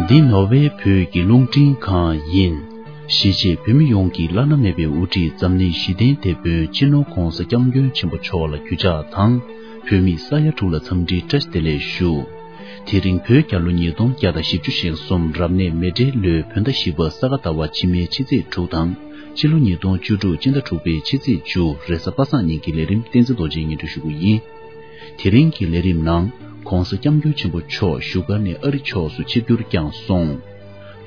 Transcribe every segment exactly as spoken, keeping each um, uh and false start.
འདི་ནོར་ཝེ་བོད་ཀྱི་རླུང་འཕྲིན་ཁང་ཡིན། གཞིས་བྱེས་བོད་མི་ཡོངས་ཀྱི་བླ་ན་མེད་པའི་དབུ་ཁྲིད་འཛམ་གླིང་ཞི་བདེའི་དེད་དཔོན་སྤྱི་ནོར་༧གོང་ས་༧སྐྱབས་མགོན་ཆེན་པོ་མཆོག་ལ་གུས་ཕྱག་དང་། བོད་མི་ས་ཡ་དྲུག་ལ་འཚམས་འདྲིའི་བཀྲ་ཤིས་བདེ་ལེགས་ཞུ། དེ་རིང་བོད་རྒྱལ་ལོ་ཉིས་སྟོང་བརྒྱ་དང་བཞི་བཅུ་ཞེ་གསུམ་རབ་གནས་མེ་སྤྲེལ་ལོའི་བོད་ཟླ་བཞི་པ་ས་ག་ཟླ་བ་ཕྱི་མའི་ཕྱི་ཚེས་དྲུག་དང་། ཕྱི་ལོ་ཉིས་སྟོང་བཅུ་དྲུག་སྤྱི་ཟླ་དྲུག་པའི་ཕྱི་ཚེས་བཅུ་རེས་གཟའ་པ་སངས་ཉིན་གྱི་ལས་རིམ་བསྟན་འཛིན་རྡོ་རྗེས་སྙན་སྒྲོན་ཞུ་གི་ཡིན། དེ་རིང་གི་ལས་རིམ་ནང་༧གོང་ས་༧སྐྱབས་མགོན་ཆེན་པོ་མཆོག་བཞུགས་སྒར་ནས་ཨ་རི་ཕྱོགས་སུ་ཆིབས་བསྒྱུར་བསྐྱངས་སོང་།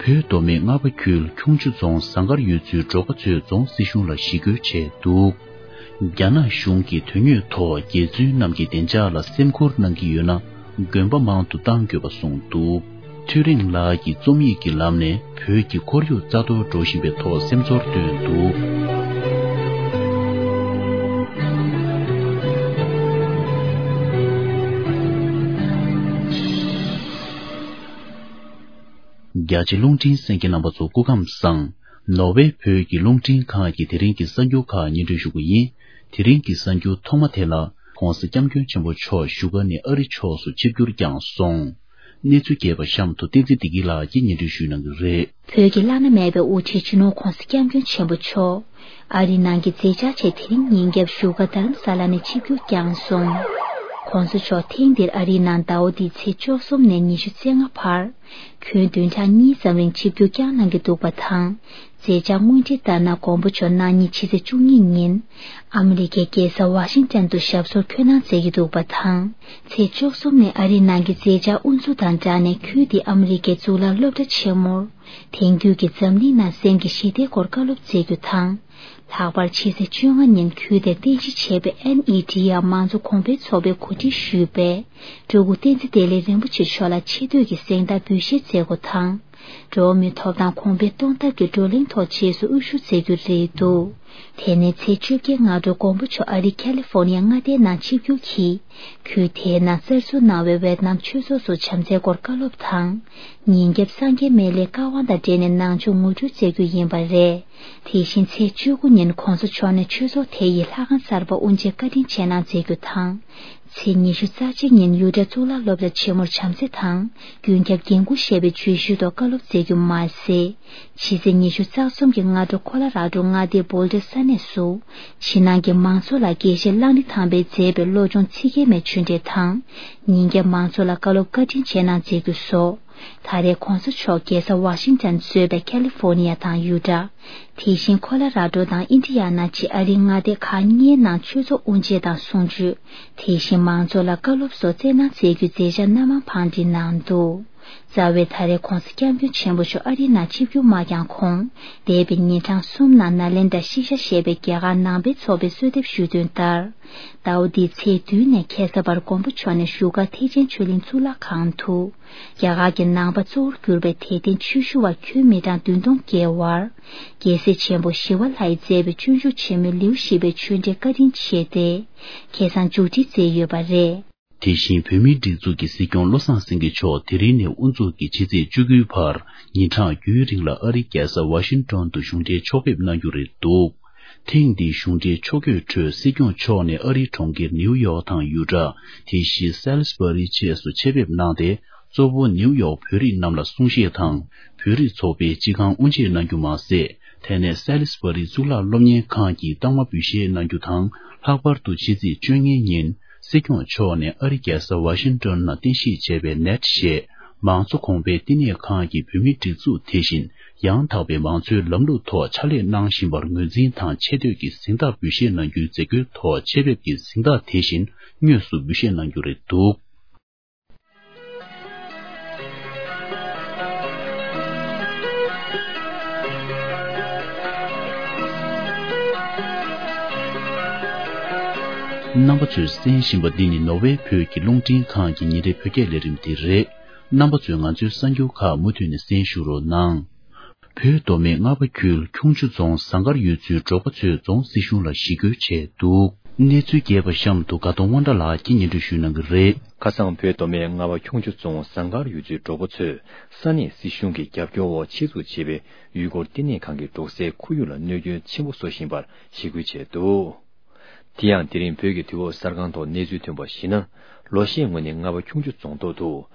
བོད་མདོ་སྨད་རྔ་པ་ཁུལ་ཁྱུང་མཆུ་རྫོང་ཟངས་དཀར་ཡུལ་ཚོའི་འབྲོག་པ་ཚོས་རྫོང་སྲིད་གཞུང་ལ་ཞི་རྒོལ་བྱས་འདུག་རྒྱ་ནག་གཞུང་གིས་དོན་དངོས་ཐོག་རྒྱལ་བཙུན་རྣམས་ཀྱི་བདེ་འཇགས་ལ་སེམས་ཁུར་གནང་གི་ཡོད་ན། དགོན་པ་མང་དུ་གཏང་དགོས་པ་གསུངས་འདུག་ཐོད་རེངས་ལགས་ཀྱིས་རྩོམ་ཡིག་གི་ལམ་ནས་བོད་ཀྱི་ཁོར་ཡུག་རྩ་གཏོར་འགྲོ་བཞིན་པའི་ཐོག་སེམས་ཚོར་བཏོན་འདུག་རྒྱ་ཆེ་རླུང་འཕྲིན་གསན་མཁན་རྣམ་པ་ཚོ་སྐུ་ཁམས་བཟང་། ནོར་ཝེ་བོད་ཀྱི་རླུང་འཕྲིན་ཁང་གི་དེ་རིང་གི་གསར་འགྱུར་ཁག་སྙན་སྒྲོན་ཞུ་གི་ཡིན། དེ་རིང་གི་གསར་འགྱུར་ཐོག་མ་དེ་ལ་༧གོང་ས་༧སྐྱབས་མགོན་ཆེན་པོ་མཆོག་བཞུགས་སྒར་ནས་ཨ་རི་ཕྱོགས་སུ་ཆིབས་བསྒྱུར་བསྐྱངས་སོང་། གནས་ཚུལ་རྒྱས་པ་གཤམ་དུ་བསྟན་འཛིན་བདེ་སྐྱིད་ལགས་ཀྱིས་སྙན་སྒྲོན་ཞུ་གནང་གི་རེད། བོད་ཀྱི་བླ་ན་མེད་པའི་དབུ་ཁྲིད་སྤྱི་ནོར་༧གོང་ས་༧སྐྱབས་མགོན་ཆེན་པོ་མཆོག་ཨ་རི་ནང་གི་མཛད་འཆར་ཆེད་དེ་རིང་ཉིན་རྒྱབ་བཞུགས་སྒར་རྡ་རམ་ས་ལ་ནས་ཆིབས་བསྒྱུར་བསྐྱངས་སོང་། ༧གོང་ས་མཆོག་ཐེངས་འདིར་ཨ་རིའི་ནང་ཟླ་བ་འདིའི་ཚེས་བཅུ་གསུམ་ནས་ཉི་ཤུ་རྩ་ལྔ་བར། ཁྱོན་བདུན་ཕྲག་གཉིས་ཙམ་རིང་ཆིབས་བསྒྱུར་བསྐྱངས་གནང་གི་འདུག་པ་དང་། མཛད་འཆར་དངོས་བྲིས་ལྟར་ན་མགོན་པོ་མཆོག་གནངས་ཉིན་ཕྱི་ཚེས་བཅུ་གཉིས་ཉིན། ཨ་མི་རི་ཀའི་རྒྱལ་ས་ཝ་ཤིང་ཏན་དུ་ཞབས་སོར་འཁོད་གནང་མཛད་ཀྱི་འདུག་པ་དང་། ཚེས་བཅུ་གསུམ་ནས་ཨ་རིའི་ནང་གི་མཛད་འཆར་དབུ་འཛུགས་དང་སྦྲགས་ནས་ཁུལ་དེའི་ཨ་མི་རི་ཀའི་གཙུག་ལག་སློབ་གྲྭ་ཆེན་མོར། དེང་དུས་ཀྱི་འཛམ་གླིང་ནང་སེམས་ཀྱི་ཞི་བདེའི་སྐོར་བཀའ་སློབ་སྩལ་རྒྱུ་དང་། ལྷག་པར་ཕྱི་ཚེས་བཅོ་ལྔ་ཉིན་ཁུལ་དེར་རྟེན་གཞི་བྱས་པའི་ཨེན་ཨི་ཌི་ཨར་མང་གཙོ་གོང་འཕེལ་ཚོགས་པའི་གོ་སྒྲིག་ཞུས་པའི་སྤྲུལ་སྐུ་བསྟན་འཛིན་བདེ་ལེགས་རིན་པོ་ཆེ་མཆོག་ལ་ཆེ་བསྟོད་ཀྱི་གཟེངས་རྟགས་འབུལ་བཞེས་མཛད་སྒོ་དང་། འགྲོ་བ་མིའི་ཐོབ་ཐང་གོང་འཕེལ་གཏོང་ཐབས་ཀྱི་བགྲོ་གླེང་ཐོག་རྗེས་སུ་དབུ་བཞུགས་མཛད་རྒྱུ་རེད་འདུག་དེ་ནས་ཚེས་བཅོ་བརྒྱད་སྔ་དྲོ་མགོན་པོ་མཆོག་ཨ་རི་ཁ་ལི་ཧྥོ་ནི་ཡ་མངའ་སྡེའི་ནང་ཆིབས་བསྒྱུར་གྱིས། ཁུལ་དེའི་ནང་གསར་འཛུགས་གནང་བའི་ཝེ་ཏི་ནམ་ཆོས་ཚོགས་སུ་བྱམས་བརྩེའི་སྐོར་བཀའ་སློབ་དང་། ཉིན་རྒྱབ་སངས་རྒྱས་སྨན་བླའི་བཀའ་དབང་དང་འབྲེལ་ནས་ནང་ཆོས་ངོ་སྤྲོད་མཛད་རྒྱུ་ཡིན་པ་རེད། དེ་བཞིན་ཚེས་བཅུ་དགུ་ཉིན་གོང་ས་མཆོག་ནས་ཆོས་ཚོགས་དེ་ཡི་ལྷ་ཁང་གསར་པ་དབུ་འབྱེད་བཀའ་དྲིན་ཆེ་གནང་མཛད་རྒྱུ་དང་། ཚེས་ཉི་ཤུ་རྩ་གཅིག་ཉིན་ཡུ་ཊ་གཙུག་ལག་སློབ་གྲྭ་ཆེན་མོར་བྱམས་བརྩེ་དང་། ཀུན་ཁྱབ་འགན་འཁུར་ཞེས་པའི་བརྗོད་གཞིའི་ཐོག་བཀའ་སློབ་སྩལ་རྒྱུ་མ་ཟད། ཕྱི་ཚེས་ཉི་ཤུ་རྩ་གསུམ་གྱི་སྔ་དྲོ་ཁོ་ལ་ར་ཌོ་མངའ་སྡེའི་བྷོལ་ཌར་ས་གནས་སུ། ཕྱི་ནང་གི་མང་ཚོགས་ལ་དགེ་བཤེས་གླང་རི་ཐང་པས་མཛད་པའི་བློ་སྦྱོང་ཚིག་བརྒྱད་མའི་ཆོས་འབྲེལ་དང་། ཉིན་རྒྱབ་མང་ཚོགས་ལ་བཀའ་སློབ་བཀའ་དྲིན་ཆེ་གནང་མཛད་རྒྱུ་སོགས། ད་རེས་གོང་ས་མཆོག་རྒྱལ་ས་ཝ་ཤིང་ཏན་གཙོས་པའི་ཁ་ལི་ཧྥོ་ནི་ཡ་དང་ཡུ་ཊ། དེ་བཞིན་ཁོ་ལ་ར་ཌོ་དང་ཨིན་ཌི་ཡ་ན་བཅས་ཨ་རིའི་མངའ་སྡེ་ཁག་གཉིས་ནང་ཆོས་ཚོགས་དབུ་འབྱེད་དང་གསུང་ཆོས། དེ་བཞིན་མང་ཚོགས་ལ་བཀའ་སློབ་སོགས་སྩལ་གནང་མཛད་རྒྱུའི་མཛད་འཆར་སྣ་མང་བང་སྒྲིག་གནང་འདུག་རྩ་བའི་ད་རེས་གོང་ས་སྐྱབས་མགོན་ཆེན་པོ་མཆོག་ཨ་རིའི་ནང་ཆིབས་བསྒྱུར་མ་བསྐྱངས་གོང་། འདས་པའི་ཉིན་གྲངས་གསུམ་ནང་ནཱ་ལེནྡྲ་ཤིག་ཤ་ཞེས་པའི་རྒྱ་གར་ནང་པའི་ཚོགས་པའི་གསོལ་འདེབས་ཞུས་དོན་ལྟར། ཟླ་བ་འདིའི་ཚེས་བདུན་ནས་ཁ་སང་བར་མགོན་པོ་མཆོག་ནས་བཞུགས་སྒར་ཐེག་ཆེན་ཆོས་གླིང་གཙུག་ལག་ཁང་དུ། རྒྱ་གར་གྱི་ནང་པ་གཙོ་བོར་གྱུར་པའི་དད་ལྡན་ཆོས་ཞུ་བ་ཁྱོན་མི་གྲངས་བདུན་སྟོང་བརྒལ་བར། རྒྱལ་སྲས་ཆེན་པོ་ཞི་བ་ལྷ་ཡིས་མཛད་པའི་སྤྱོད་འཇུག་ཆེན་མོའི་ལེའུ་བཞི་པའི་ཆོས་འབྲེལ་བཀའ་དྲིན་ཆེ་སྟེ། ཁ་སང་མཇུག་སྒྲིལ་མཛད་ཡོད་པ་རེད། དེ་བཞིན་བོད་མིའི་སྒྲིག་འཛུགས་ཀྱི་སྲིད་སྐྱོང་བློ་བཟང་སེང་གེ་མཆོག་དེ་རིང་ནས་དབུ་འཛུགས་ཀྱིས་ཕྱི་ཚེས་བཅུ་དགུའི་བར་ཉིན་གྲངས་བརྒྱད་རིང་ལ་ཨ་རིའི་རྒྱལ་ས་ཝ་ཤིང་ཏོན་དུ་གཞུང་འབྲེལ་ཕྱོགས་ཕེབས་གནང་རྒྱུ་རེད་འདུག་ཐེངས་འདིའི་གཞུང་འབྲེལ་ཕྱོགས་བསྐྱོད་ཁྲོད་སྲིད་སྐྱོང་མཆོག་ནས་ཨ་རིའི་གྲོང་ཁྱེར་ནིའུ་ཡོག་དང་ཡུ་ཊ། དེ་བཞིན་སེལ་སི་བྷ་རི་བཅས་སུ་ཆེད་ཕེབས་གནང་སྟེ། གཙོ་བོ་ནིའུ་ཡོག་བོད་རིགས་རྣམས་ལ་གསུང་བཤད་དང་། བོད་རིགས་ཚོགས་པའི་སྤྱི་ཁང་དབུ་འབྱེད་གནང་རྒྱུ་མ་ཟད། དེ་ནས་སེལ་སི་བྷ་རི་གཙུག་ལག་སློབ་གཉེར་ཁང་གི་རྟགས་མ་འབུལ་བཞེས་གནང་རྒྱུ་དང་། ལྷག་པར་དུ་ཕྱི་ཚེས་བཅོ་ལྔའི་ཉིན། སྲིད་སྐྱོང་མཆོག་ནས་ཨ་རི་རྒྱལ་ས་ཝ་ཤིང་ཏོན་ནང་རྟེན་གཞི་བྱས་པའི་ནེཊ་ཞེས་མང་གཙོ་གོང་འཕེལ་བསྟི་གནས་ཁང་གི་བོད་མིའི་སྒྲིག་འཛུགས་དེ་བཞིན་ཡང་དག་པའི་མང་གཙོའི་ལམ་ལུགས་ཐོག་ཕྱག་ལས་གནང་བཞིན་པར་ངོས་འཛིན་དང་ཆེ་བསྟོད་ཀྱི་གཟེངས་རྟགས་འབུལ་བཞེས་གནང་རྒྱུའི་མཛད་སྒོའི་ཐོག་ཆེད་ཕེབས་ཀྱི་གཟེངས་རྟགས་དེ་བཞིན་དངོས་སུ་འབུལ་བཞེས་གནང་རྒྱུ་རེད་འདུག་རྣམ་པ་ཚོས་གསན་བཞིན་པ་འདི་ནི་ནོར་ཝེ་བོད་ཀྱི་རླུང་འཕྲིན་ཁང་གི་ཉིན་རེའི་བོད་སྐད་ལས་རིམ་དེ་རེད། རྣམ་པ་ཚོས་ང་ཚོའི་གསར་འགྱུར་ཁག་མུ་མཐུད་ནས་གསན་ཞུ་རོགས་གནང་། བོད་མདོ་སྨད་རྔ་པ་ཁུལ་ཁྱུང་མཆུ་རྫོང་ཟངས་དཀར་ཡུལ་ཚོའི་འབྲོག་པ་ཚོས་རྫོང་སྲིད་གཞུང་ལ་ཞི་རྒོལ་བྱས་འདུག་གནས་ཚུལ་རྒྱས་པ་གཤམ་དུ་དགའ་གདོང་དབང་གྲགས་ལགས་ཀྱིས་སྙན་སྒྲོན་ཞུ་གནང་གི་རེད། ཁ་སང་བོད་མདོ་སྨད་རྔ་པ་ཁྱུང་མཆུ་རྫོང་ཟངས་དཀར་ཡུལ་ཚོའི་འབྲོག་པ་ཚོས་ས་གནས་སྲིད་གཞུང་གི་རྒྱབ་སྐྱོར་འོག་ཆེད་འཛུགས་བྱས་པའི་ཡུལ་སྐོར་བསྟི་གནས་ཁང་གིས་འབྲོག་སའི་ཁོར་ཡུག་ལ་གནོད་སྐྱོན་ཆེན་པོ་བཟོ་བཞིན་པར་ཞི་རྒོལ་བྱས་འདུག་དེ་ཡང་དེ་རིང་བོད་ཀྱི་དུས་བབ་གསར་ཁང་ཐོག་གནས་ཚུལ་ཐོན་པར་གཞིགས་ན། ལོ་ཤས་སྔོན་ནས་རྔ་པ་ཁྱུང་མཆུ་རྫོང་ཐོག་ཏུ་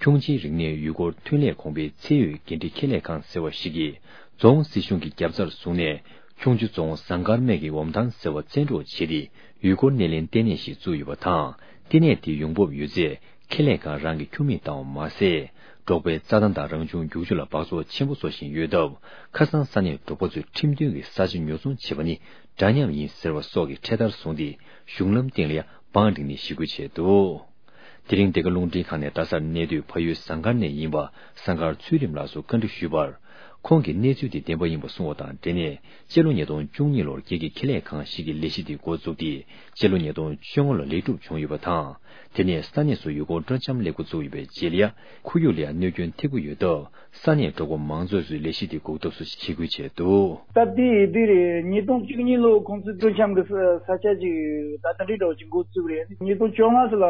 ཁྱུང་ཆེན་རིག་གནས་ཡུལ་སྐོར་ཐོན་ལས་གོང་འཕེལ་ཚད་ཡོད་འགན་འཁྲི་ཁྱད་ལས་ཁང་ཟེར་བ་ཞིག་གིས་རྫོང་སྲིད་གཞུང་གི་རྒྱབ་རྩར་བཟུང་ནས། ཁྱུང་མཆུ་རྫོང་ཟངས་དཀར་སྨད་ཀྱི་འོམ་ཐང་ཟེར་བ་བཙན་འཕྲོག་བྱས་ཏེ། ཡུལ་སྐོར་སྣེ་ལེན་ལྟེ་གནས་ཤིག་བཙུགས་ཡོད་པ་དང་། ལྟེ་གནས་དེའི་ཡོང་འབབ་ཡོད་ཚད་ཁེ་ལས་ཁང་རང་གི་ཁྱུར་མིད་བཏང་བ་མ་ཟད། འབྲོག་པའི་རྩྭ་ཐང་དང་རང་བྱུང་རྒྱུག་ཆུ་ལ་འབག་བཙོག་ཆེན་པོ་བཟོ་བཞིན་ཡོད་སྟབས། ཁ་སང་ས་གནས་འབྲོག་པ་ཚོས་ཁྲིམས་མཐུན་གྱི་ས་ཆ་ཉོ་ཚོང་བྱེད་པ་ནི་འདྲ་མཉམ་ཡིན་ཟེར་བ་སོགས་ཀྱི་འཕྲེད་དར་བཟུང་སྟེ། གཞུང་ལམ་སྟེང་ལ་ཡང་བང་བསྒྲིགས་ནས་ཞི་རྒོལ་བྱས་འདུག་དེ་རིང་འདི་ག་རླུང་འཕྲིན་ཁང་ནས་རྡ་སར་གནས་སྡོད་ཕ་ཡུལ་ཟངས་དཀར་ནས་ཡིན་པ་ཟངས་དཀར་ཚུལ་ཁྲིམས་ལགས་སུ་བཀའ་འདྲི་ཞུས་པར། ཁོང་གིས་གནས་ཚུལ་དེ་བདེན་པ་ཡིན་པ་གསུངས་པ་དང་འབྲེལ་ནས། སྤྱི་ལོ་ཉིས་སྟོང་བཅུ་གཉིས་ལོར་སྒེར་གྱི་ཁེ་ལས་ཁང་ཞིག་གིས་ལས་གཞི་དེ་འགོ་བཙུགས་ཏེ། སྤྱི་ལོ་ཉིས་སྟོང་བཅོ་ལྔ་ལོར་ལེགས་གྲུབ་བྱུང་ཡོད་པ་དང་། དེ་ནས་ས་གནས་སུ་ཡུལ་སྐོར་སྤྲོ་འཆམ་སླེབས་འགོ་བཙུགས་ཡོད་པའི་རྗེས་ལ། ཁོར་ཡུག་ལ་ཡང་གནོད་སྐྱོན་ཐེབས་ཀྱི་ཡོད་སྟབས། ས་གནས་འབྲོག་པ་མང་ཚོགས་ཚོས་ལས་གཞི་དེ་འགོག་ཐབས་སུ་ཞི་རྒོལ་བྱས་འདུག་སྟབས་བདེ་ཡིན་དུས་རེད། ཉིས་སྟོང་བཅུ་གཉིས་ལོ་ཁོང་ཚོས་སྤྲོ་འཆམ་གྱི་ས་ས་ཆ་ཅིག་ད་ལྟ་འདྲི་འདྲ་བོ་ཅིག་འགོ་བཙུགས་རེད། ཉིས་སྟོང་བཅོ་ལྔ་ཙམ་ལ་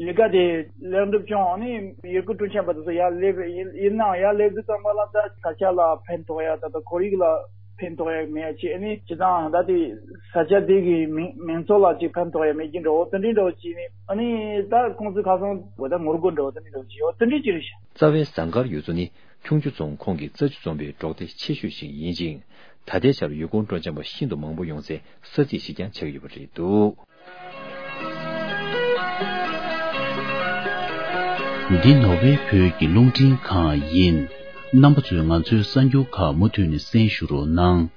ལས་ཀ་དེ་ལེགས་འགྲུབ་བྱུང་། ཨ་ནི་ཡུལ་སྐོར་སྤྲོ་འཆམ་པ་དེ་ཚོ་ཡར་སླེབས་རེད། ཡིན་ཡིན་ནའང་ཡར་སླེབས་དུས་ཙམ་པ་ལ་ད་ས་ཆ་ལ་ཕན་ཐོགས་ཡ། ད་ལྟ་ཁོར་ཡུག་ལ་ཕན་ཐོགས་ཡ་མེད་ཡ་ཅིག་ཨ་ནི་སྤྱི་བཏང་ད་དེ་ས་ཆ་དེ་གི་མི་མང་ཚོགས་ལ་ཅིག་ཕན་ཐོགས་ཡ་མེད་ཀྱི་འདྲ་བོ་དེ་འདྲའི་འདྲ་བོ་ཅིག་ནི། ཨ་ནི་ད་ཁོང་ཚོས་ཁ་སང་བོད་ད་ངོ་རྒོལ་འདྲ་བོ་དེ་འདྲའི་འདྲ་བོ་ཅིག་ཡོད། དེ་འདྲའི་ཅིག་རེད་ཤག་རྩ་བའི་ཟངས་དཀར་ཡུལ་ཚོ་ནི་ཁྱུང་མཆུ་རྫོང་ཁོངས་ཀྱི་རྩྭ་ཆུ་འཛོམས་པའི་འབྲོག་སྡེ་ཆེ་ཤོས་ཤིག་ཡིན་ཅིང་། ད་ལྟའི་ཆར་ཡུལ་སྐོར་སྤྲོ་འཆམ་པ་ཤིན་ཏུ་མང་པོ་ཡོང་སའི་ས་ཚིགས་ཤིག་ཀྱང་ཆགས་ཡོད་པ་རེད་འདུག་འདི་ནོར་ཝེ་བོད་ཀྱི་རླུང་འཕྲིན་ཁང་ཡིན། རྣམ་པ་ཚོས་ང་ཚོའི་གསར་འགྱུར་ཁག་མུ་མཐུད་ནས་གསན་ཞུ་རོགས་གནང་།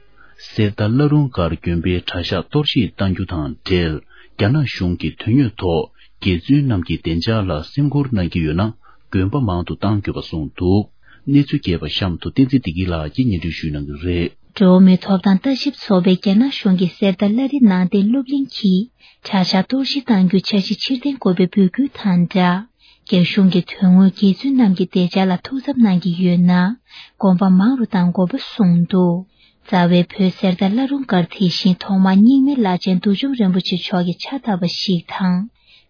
གསེར་རྟ་བླ་རུང་སྒར་དགོན་པའི་གྲྭ་ཤག་གཏོར་བཤིག་གཏང་རྒྱུ་དང་འབྲེལ། རྒྱ་ནག་གཞུང་གིས་དོན་དངོས་ཐོག་དགེ་བཙུན་རྣམས་ཀྱི་བདེ་འཇགས་ལ་སེམས་ཁུར་གནང་གི་ཡོད་ན། དགོན་པ་མང་དུ་གཏང་དགོས་པ་གསུངས་འདུག་གནས་ཚུལ་རྒྱས་པ་གཤམ་དུ་བསྟན་འཛིན་བདེ་སྐྱིད་ལགས་ཀྱིས་སྙན་སྒྲོན་ཞུ་གནང་གི་རེད། འགྲོ་བ་མིའི་ཐོབ་ཐང་ལྟ་ཞིབ་ཚོགས་པས་རྒྱ་ནག་གཞུང་གིས་གསེར་རྟ་བླ་རི་ནང་བསྟན་སློབ་གླིང་གི་གྲྭ་ཤག་གཏོར་བཤིག་གཏང་རྒྱུའི་འཆར་གཞི་ཕྱིར་འཐེན་དགོས་པའི་འབོད་སྐུལ་དང་སྦྲགས། རྒྱ་གཞུང་གིས་དོན་དངོས་དགེ་བཙུན་རྣམས་ཀྱི་བདེ་འཇགས་ལ་ཐུགས་འཚབ་གནང་གི་ཡོད་ན། དགོན་པ་མང་རུ་གཏང་དགོས་པ་གསུངས་འདུག་རྩ་བའི་བོད་གསེར་རྟ་བླ་རུང་སྒར་དེ་བཞིན་ཐོག་མར་རྙིང་མའི་བླ་ཆེན་བདུད་འཇོམས་རིན་པོ་ཆེ་མཆོག་གི་ཕྱག་བཏབ་པ་ཞིག་དང་།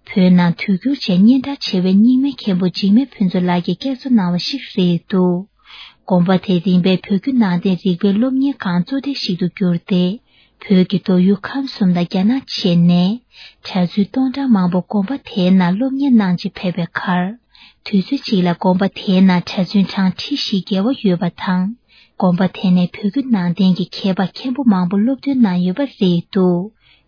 བོད་ནང་དུས་འགྱུར་རྗེས་སྙན་གྲགས་ཆེ་བའི་རྙིང་མའི་མཁན་པོ་འཇིགས་མེད་ཕུན་ཚོགས་ལགས་ཀྱིས་བསྐྱར་གསོ་གནང་བ་ཞིག་རེད་འདུག་དགོན་པ་དེ་རིམ་པས་བོད་བརྒྱུད་ནང་བསྟན་རིག་པའི་སློབ་གཉེར་ཁང་གཙོ་གྲས་ཤིག་ཏུ་གྱུར་ཏེ། བོད་ཀྱི་མདོ་དབུས་ཁམས་གསུམ་དང་རྒྱ་ནག་བཅས་ནས་གྲྭ་བཙུན་སྟོང་ཕྲག་མང་པོ་དགོན་པ་དེའི་ནང་སློབ་གཉེར་གནང་ཆེད་ཕེབས་པའི་ཁར། དུས་ཚོད་གཅིག་ལ་དགོན་པ་དེའི་ནང་གྲྭ་བཙུན་གྲངས་ཁྲི་བཞི་བརྒལ་བ་ཡོད་པ་དང་། དགོན་པ་དེ་ནས་བོད་བརྒྱུད་ནང་བསྟན་གྱི་མཁས་པ་མཁན་པོ་མང་པོ་སློབ་ཐོན་གནང་ཡོད་པ་རེད་འདུག་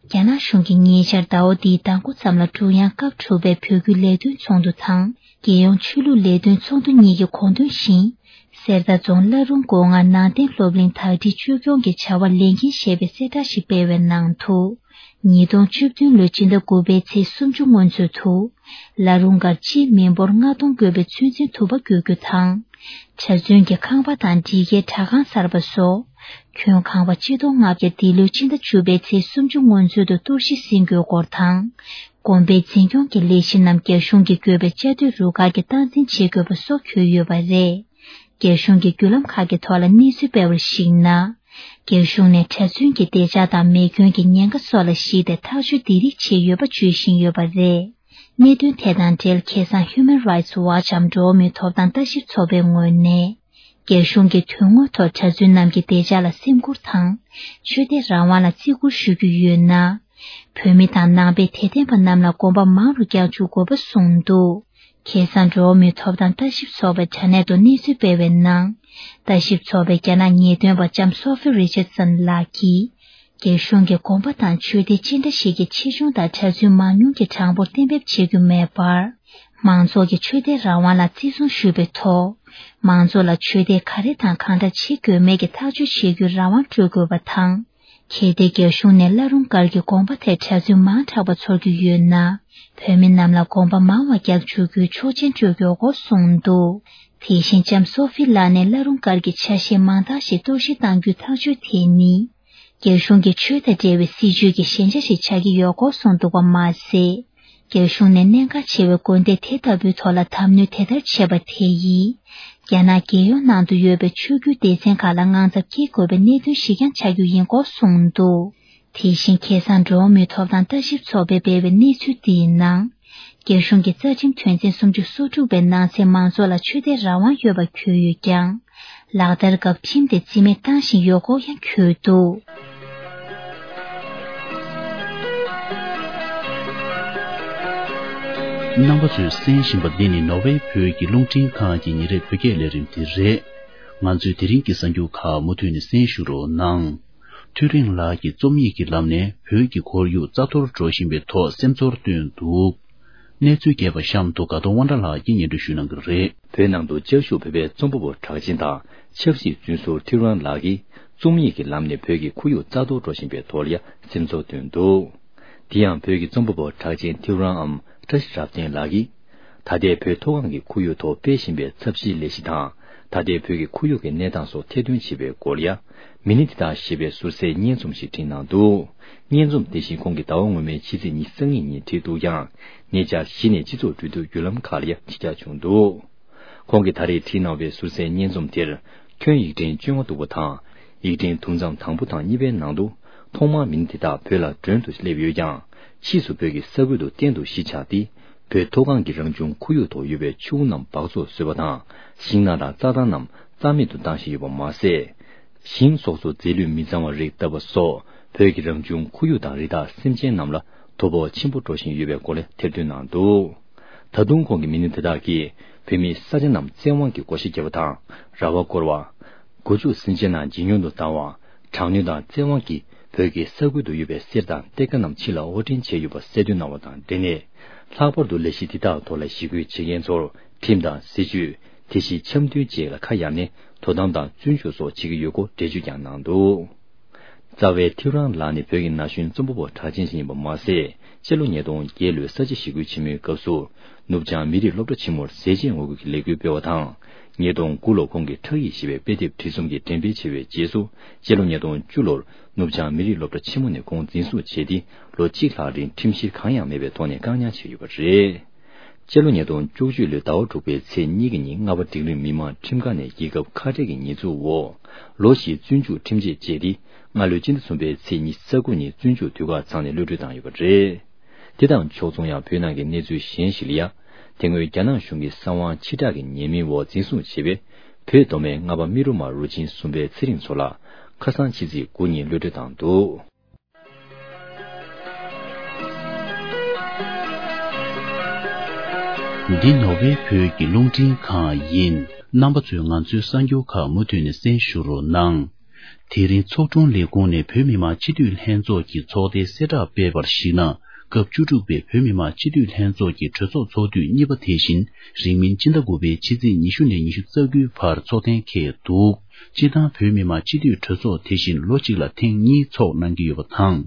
རྒྱ་ནག་གཞུང་གིས་ཉེ་ཆར་ཟླ་བ་འདིའི་མདང་དགོང་ཙམ་ལ་ཀྲུང་དབྱང་སྐབས་དྲུག་པའི་བོད་བརྒྱུད་ལས་དོན་ཚོགས་འདུ་དང་། རྒྱལ་ཡོངས་ཆོས་ལུགས་ལས་དོན་ཚོགས་འདུ་གཉིས་ཀྱི་དགོངས་དོན་བཞིན། གསེར་རྟ་རྫོང་བླ་རུང་སྒོ་ལྔ་ནང་བསྟན་སློབ་གླིང་དག་སྒྲིལ་བཅོས་སྐྱོང་གི་བྱ་བ་ལས་འགན་བཞེས་པའི་གསལ་བསྒྲགས་ཤིག་སྤེལ་བའི་ནང་དུ། ཉིས་སྟོང་བཅུ་བདུན་ལོའི་སྤྱི་ཟླ་དགུ་པའི་ཚེས་སུམ་ཅུ་སྔོན་ཚུད་དུ། བླ་རུང་སྒར་སྤྱིའི་མི་འབོར་ལྔ་སྟོང་བགོས་པའི་ཚོད་འཛིན་དུ་བ་བསྐྱོད་རྒྱུ་དང་། གྲྭ་བཙུན་གྱི་ཁང་པ་དང་སྒྲིག་ཁའི་དྲ་ཁང་གསར་པ་སོགས། ཁྱོན་ཁང་པ་སྤྱི་ལོ་ལྔ་བརྒྱ་འདི་ལོའི་སྤྱི་ཟླ་བཅུ་པའི་ཚེས་སུམ་ཅུ་སྔོན་ཚུད་དུ་གཏོར་བཤིག་ཟིན་དགོས་སྐོར་དང་། དགོན་པའི་འཛིན་སྐྱོང་གི་ལས་གཞི་རྣམས་རྒྱ་གཞུང་གིས་བཀོད་པའི་བཅའ་སྡོད་རུ་ཁག་གིས་སྟངས་འཛིན་བྱེད་དགོས་པ་སོགས་འཁོད་ཡོད་པ་རེད། རྒྱ་གཞུང་གི་བརྒྱུད་ལམ་ཁག་གི་ཐོག་ལ་གནས་ཚུལ་སྤེལ་བར་གཞིགས་ན། རྒྱ་གཞུང་ནས་གྲྭ་བཙུན་གྱི་བདེ་འཇགས་དང་མེ་སྐྱོན་གྱི་ཉེན་ཁ་སོགས་ལ་གཞིགས་ཏེ་ཐག་གཅོད་འདི་རིགས་བྱས་ཡོད་པ་བརྗོད་བཞིན་ཡོད་པ་རེད། གནད་དོན་དེ་དང་འབྲེལ་ཁ་སང་Human Rights Watch འམ་འགྲོ་བ་མིའི་ཐོབ་ཐང་ལྟ་ཞིབ་ཚོགས་པའི་ངོས་ནས། རྒྱ་གཞུང་གིས་དོན་དངོས་ཐོག་གྲྭ་བཙུན་རྣམས་ཀྱི་བདེ་འཇགས་ལ་སེམས་ཁུར་དང་། ཆོས་དད་རང་དབང་ལ་བརྩི་བཀུར་ཞུ་རྒྱུ་ཡོད་ན། བོད་མི་དང་ནང་པའི་དད་ལྡན་པ་རྣམས་ལ་དགོན་པ་མང་རུ་བསྐྱར་འཛུགས་དགོས་པ་གསུངས་འདུག་ཁ་སང་འགྲོ་བ་མིའི་ཐོབ་ཐང་ལྟ་ཞིབ་ཚོགས་པའི་དྲ་གནས་ཐོག་གནས་ཚུལ་སྤེལ་བའི་ནང་། ལྟ་ཞིབ་ཚོགས་པའི་རྒྱ་ནག་ངེས་སྟོན་པ་ལྕམ་སོ་ཧྥི་རི་ཅར་སན་ལགས་ཀྱིས། རྒྱ་གཞུང་གིས་དགོན་པ་དང་ཆོས་སྡེ་ཅི་འདྲ་ཞིག་གི་ཆེ་ཆུང་དང་གྲྭ་བཙུན་མང་ཉུང་གི་གྲངས་འབོར་གཏན་འབེབས་བྱེད་རྒྱུ་མེད་པར། མང་ཚོགས་ཀྱི་ཆོས་དད་རང་དབང་ལ་བརྩི་སྲུང་ཞུ་བའི་ཐོག་མང་ཚོགས་ལ་ཆོས་དད་ག་རེ་དང་གང་འདྲ་བྱེད་དགོས་མེད་ཀྱི་ཐག་གཅོད་བྱེད་རྒྱུའི་རང་དབང་སྤྲོད་དགོས་པ་དང་། གལ་ཏེ་རྒྱ་གཞུང་ནས་བླ་རུང་སྒར་གྱི་དགོན་པ་དེར་གྲྭ་བཙུན་མང་དྲགས་པ་ཚོར་རྒྱུ་ཡོད་ན། བོད་མི་རྣམས་ལ་དགོན་པ་མང་བ་རྒྱག་བཅུག་རྒྱུའི་ཆོག་མཆན་སྤྲོད་དགོས་སྐོར་གསུངས་འདུག་དེ་བཞིན་ལྕམ་སོ་ཧྥི་ལགས་ནས་བླ་རུང་སྒར་གྱི་ཆ་ཤས་མང་དག་ཞིག་གཏོར་བཤིག་གཏང་རྒྱུའི་ཐག་གཅོད་དེ་ནི། རྒྱ་གཞུང་གིས་ཆོས་དང་འབྲེལ་བའི་སྲིད་ཇུས་ཀྱི་ཞན་ཆ་ཞིག་ཆགས་ཀྱི་ཡོད་སྐོར་གསུངས་འདུག་པ་མ་ཟད། རྒྱ་གཞུང་ནས་གནད་འགག་ཆེ་བའི་དགོན་སྡེ་དེ་ལྟ་བུའི་ཐོག་ལ་དམ་གནོན་དེ་ལྟར་བྱས་པ་དེ་ཡིས། རྒྱ་ནག་རྒྱལ་ཡོངས་ནང་དུ་ཡོད་པའི་ཆོས་བརྒྱུད་སྡེ་ཚན་ཁག་ལ་དངངས་འཚབ་སྐྱེ་དགོས་པའི་གནད་དོན་ཞིག་ཀྱང་ཆགས་རྒྱུ་ཡིན་སྐོར་གསུངས་འདུག་དེ་བཞིན་ཁ་སང་འགྲོ་བ་མིའི་ཐོབ་ཐང་ལྟ་ཞིབ་ཚོགས་པས་སྤེལ་བའི་གནས་ཚུལ་འདིའི་ནང་། རྒྱ་གཞུང་གི་རྩ་ཁྲིམས་དོན་ཚན་སུམ་ཅུ་སོ་དྲུག་པའི་ནང་གསེས་མང་ཚོགས་ལ་ཆོས་དད་རང་དབང་ཡོད་པ་འཁོད་ཡོད་ཀྱང་། ལག་བསྟར་སྐབས་ཁྲིམས་དེ་རྩིས་མེད་བཏང་བཞིན་ཡོད་སྐོར་ཡང་འཁོད་འདུག་རྣམ་པ་ཚོས་གསན་བཞིན་པ་འདི་ནི་ནོར་ཝེ་བོད་ཀྱི་རླུང་འཕྲིན་ཁང་གི་ཉིན་རེའི་བོད་སྐད་ལས་རིམ་དེ་རེད། ང་ཚོས་དེ་རིང་གི་གསར་འགྱུར་ཁག་མུ་མཐུད་ནས་གསན་ཞུ་རོགས་གནང་། ཐུའུ་རིན་ལགས་ཀྱིས་རྩོམ་ཡིག་གི་ལམ་ནས་བོད་ཀྱི་ཁོར་ཡུག་རྩ་གཏོར་འགྲོ་བཞིན་པའི་ཐོག་སེམས་ཚོར་བཏོན་འདུག། གནས་ཚུལ་རྒྱས་པ་གཤམ་དུ་དགའ་གདོང་དབང་གྲགས་ལགས་ཀྱིས་སྙན་སྒྲོན་ཞུ་གནང་གི་རེད། བོད་ནང་དུ་བཅའ་བཞུགས་བོད་པའི་རྩོམ་པ་པོ་གྲགས་ཅན་དང་ཆབ་སྲིད་བཙོན་ཟུར་ཐེའུ་རང་ལགས་ཀྱིས་རྩོམ་ཡིག་གི་ལམ་ནས་བོད་ཀྱི་ཁོར་ཡུག་རྩ་གཏོར་འགྲོ་བཞིན་པའི་ཐོག་ལ་ཡང་སེམས་ཚོར་བཏོན་འདུག། དེ་ཡང་བོད་ཀྱི་རྩོམ་པ་པོ་གྲགས་ཅན་ཐེའུ་རང་འམ་བཀྲ་ཤིས་རབ་བརྟན་ལགས་ཀྱིས། ད་ལྟའི་བོད་མཐོ་སྒང་གི་ཁོར་ཡུག་ཐོག་སྤེལ་བཞིན་པའི་ཚབས་ཆེའི་ལས་གཞི་དང་། ད་ལྟའི་བོད་ཀྱི་ཁོར་ཡུག་གི་གནས་སྟངས་སོགས་ཐེར་འདོན་བྱེད་པའི་སྐོར་ལ་ཡང་། མི་ནི་དེ་དག་ཞེས་པའི་ཟུར་གསལ་སྙན་རྩོམ་ཞིག་བྲིས་གནང་འདུག། སྙན་རྩོམ་དེ་བཞིན་ཁོང་གིས་ཟླ་བ་སྔོན་མའི་ཕྱི་ཚེས་ཉི་ཤུ་རྩ་གཉིས་ཉིན་བྲིས་འདུག་ཀྱང་། ཉེ་ཆར་གཞི་ནས་སྤྱི་ཚོགས་འབྲེལ་མཐུད་བརྒྱུད་ལམ་ཁག་ལ་ཡང་ཕྱི་གྱར་བྱུང་འདུག། ཁོང་གིས་ད་རེས་བྲིས་གནང་བའི་ཟུར་གསལ་སྙན་རྩོམ་དེར། ཁྱོན་ཡིག་ཕྲེང་བཅོ་ལྔ་འདུག་པ་དང་། ཡིག་ཕྲེང་དུམ་མཚམས་དང་པོ་དང་གཉིས་པའི་ནང་དུ། ཐོག་མར་མི་སྣ་དེ་དག་བོད་ལ་མགྲོན་དུ་སླེབས་ཡོད་ཀྱང་། ཕྱིས་སུ་བོད་ཀྱི་ས་ཁུལ་དུ་གཏན་དུ་གཞིས་ཆགས་ཏེ། བོད་མཐོ་སྒང་གི་རང་བྱུང་ཁོར་ཡུག་ཐོག་ཡོད་པའི་ཆུ་བོ་རྣམས་སྦགས་བཙོག་བཟོས་པ་དང་། ཤིང་ནགས་དང་རྩྭ་ཐང་རྣམས་རྩ་མེད་དུ་བཏང་བཞིན་ཡོད་པ་མ་ཟད། ཞིང་སོགས་སུ་རྫས་ལུད་མི་གཙང་བ་རིགས་བཏབ་པ་སོགས། བོད་ཀྱི་རང་བྱུང་ཁོར་ཡུག་དང་རི་དྭགས་སེམས་ཅན་རྣམས་ལ་དོ་ཕོག་ཆེན་པོ་འགྲོ་བཞིན་ཡོད་པའི་སྐོར་ལ་ཐེར་འདོན་གནང་འདུག། ད་དུང་ཁོང་གིས་མི་སྣ་དེ་དག་གིས་བོད་མིའི་ས་ཆ་རྣམས་བཙན་དབང་གིས་བགོ་བཤའ་བརྒྱབ་པ་དང་། ར་བ་བསྐོར་བ། སྒོ་ཕྱུགས་སེམས་ཅན་རྣམས་ཇེ་ཉུང་དུ་བཏང་བ། དྲག་གནོན་དང་བཙན་དབང་གིས་བོད་ཀྱི་ས་ཁུལ་དུ་ཡོད་པའི་གསེར་དང་གཏེར་ཁ་རྣམས་ཕྱི་ལ་དབོར་འདྲེན་བྱས་ཡོད་པ་གསལ་སྟོན་གནང་བ་དང་འབྲེལ་ནས། ལྷག་པར་དུ་ལས་གཞི་འདི་དག་ཐོག་ལ་ཞི་རྒོལ་བྱེད་མཁན་ཚོར་ཁྲིམས་དང་སྲིད་ཇུས། དེ་བཞིན་འཆམ་མཐུན་བཅས་ལ་ཁ་གཡར་ནས་དོ་དམ་དང་བཙོན་འཇུག་སོགས་བྱེད་ཀྱི་ཡོད་སྐོར་འགྲེལ་བརྗོད་ཀྱང་གནང་འདུག། རྩ་བའི་ཐེའུ་རང་ལགས་ནི་བོད་ཀྱི་ན་གཞོན་རྩོམ་པ་པོ་གྲགས་ཅན་ཞིག་ཡིན་པ་མ་ཟད། སྤྱི་ལོ་ཉིས་སྟོང་བརྒྱད་ལོའི་ས་བྱི་ཞི་རྒོལ་ཆེན་མོའི་སྐབས་སུ། ནུབ་བྱང་མི་རིགས་སློབ་གྲྭ་ཆེན་མོར་ཟས་བཅད་ངོ་རྒོལ་གྱི་ལས་འགུལ་སྤེལ་བ་དང་། ཉིས་སྟོང་དགུ་ལོར་ཁོང་གིས་ཁྲག་ཡིག་ཞེས་པའི་དཔེ་དེབ་བྲིས་རྩོམ་གྱི་འགྲེམས་སྤེལ་བྱས་པའི་རྗེས་སུ། སྤྱི་ལོ་ཉིས་སྟོང་བཅུ་ལོར་ནུབ་བྱང་མི་རིགས་སློབ་གྲྭ་ཆེན་མོ་ནས་ཁོང་འཛིན་བཟུང་བྱས་ཏེ། ལོ་གཅིག་ལྷག་རིང་ཁྲིམས་བཤེར་གང་ཡང་མེད་པའི་ཐོག་ནས་བཀག་ཉར་བྱས་ཡོད་པ་རེད། སྤྱི་ལོ་ཉིས་སྟོང་བཅུ་གཅིག་ལོའི་ཟླ་བ་དྲུག་པའི་ཚེས་གཉིས་ཀྱི་ཉིན་རྔ་པ་སྒྲིག་ལམ་མི་དམངས་ཁྲིམས་ཁང་ནས་རྒྱལ་ཁབ་ཁ་བྲལ་གྱི་ཉེས་འཛུགས་འོག་ལོ་བཞིའི་བཙོན་འཇུག་ཁྲིམས་ཆད་བཅད་དེ། སྔ་ལོའི་སྤྱི་ཟླ་གསུམ་པའི་ཚེས་ཉི་ཤུ་རྩ་དགུ་ཉིན་བཙོན་འཇུག་དུས་བཀག་ཚང་ནས་གློད་གྲོལ་བཏང་ཡོད་པ་རེད། དེ་དང་ཕྱོགས་མཚུངས་ཡང་བོད་ནང་གི་གནས་ཚུལ་གཞན་ཞིག་ལ་ཡང་། དེ་སྔོན་རྒྱ་ནག་གཞུང་གིས་གསང་བ་ཕྱིར་བསྒྲགས་ཀྱི་ཉེས་མིང་འོག་འཛིན་བཟུང་བྱས་པའི་བོད་མདོ་སྨད་རྔ་པ་རྨེ་རུ་མ་རུ་ཆེན་གསུམ་པའི་ཚེ་རིང་མཚོ་ལགས་ཁ་སང་ཕྱི་ཚེས་དགུ་ཉིན་གློད་གྲོལ་བཏང་འདུག། འདི་ནོར་ཝེ་བོད་ཀྱི་རླུང་འཕྲིན་ཁང་ཡིན། རྣམ་པ་ཚོས་ང་ཚོའི་གསར་འགྱུར་ཁག་མུ་མཐུད་ནས་གསན་ཞུ་རོགས་གནང་། དེ་རིང་ཚོགས་དྲུང་ལས་ཁུངས་ནས་བོད་མི་མང་སྤྱི་འཐུས་ལྷན་ཚོགས་ཀྱི་ཚོགས་ཐེངས་གསལ་བསྒྲགས་སྤེལ་བར་གཞིགས་ན། སྐབས་བཅུ་དྲུག་པའི་བོད་མི་མང་སྤྱི་འཐུས་ལྷན་ཚོགས་ཀྱི་གྲོས་ཚོགས་ཚོགས་དུས་གཉིས་པ་དེ་བཞིན་རིང་མིན་སྤྱི་ཟླ་དགུ་པའི་ཕྱི་ཚེས་ཉི་ཤུ་ནས་ཉི་ཤུ་རྩ་དགུའི་བར་ཚོགས་ཐེངས་འཁེལ་འདུག། སྤྱིར་བཏང་བོད་མི་མང་སྤྱི་འཐུས་གྲོས་ཚོགས་དེ་བཞིན་ལོ་གཅིག་ལ་ཐེངས་གཉིས་ཚོགས་གནང་གི་ཡོད་པ་དང་།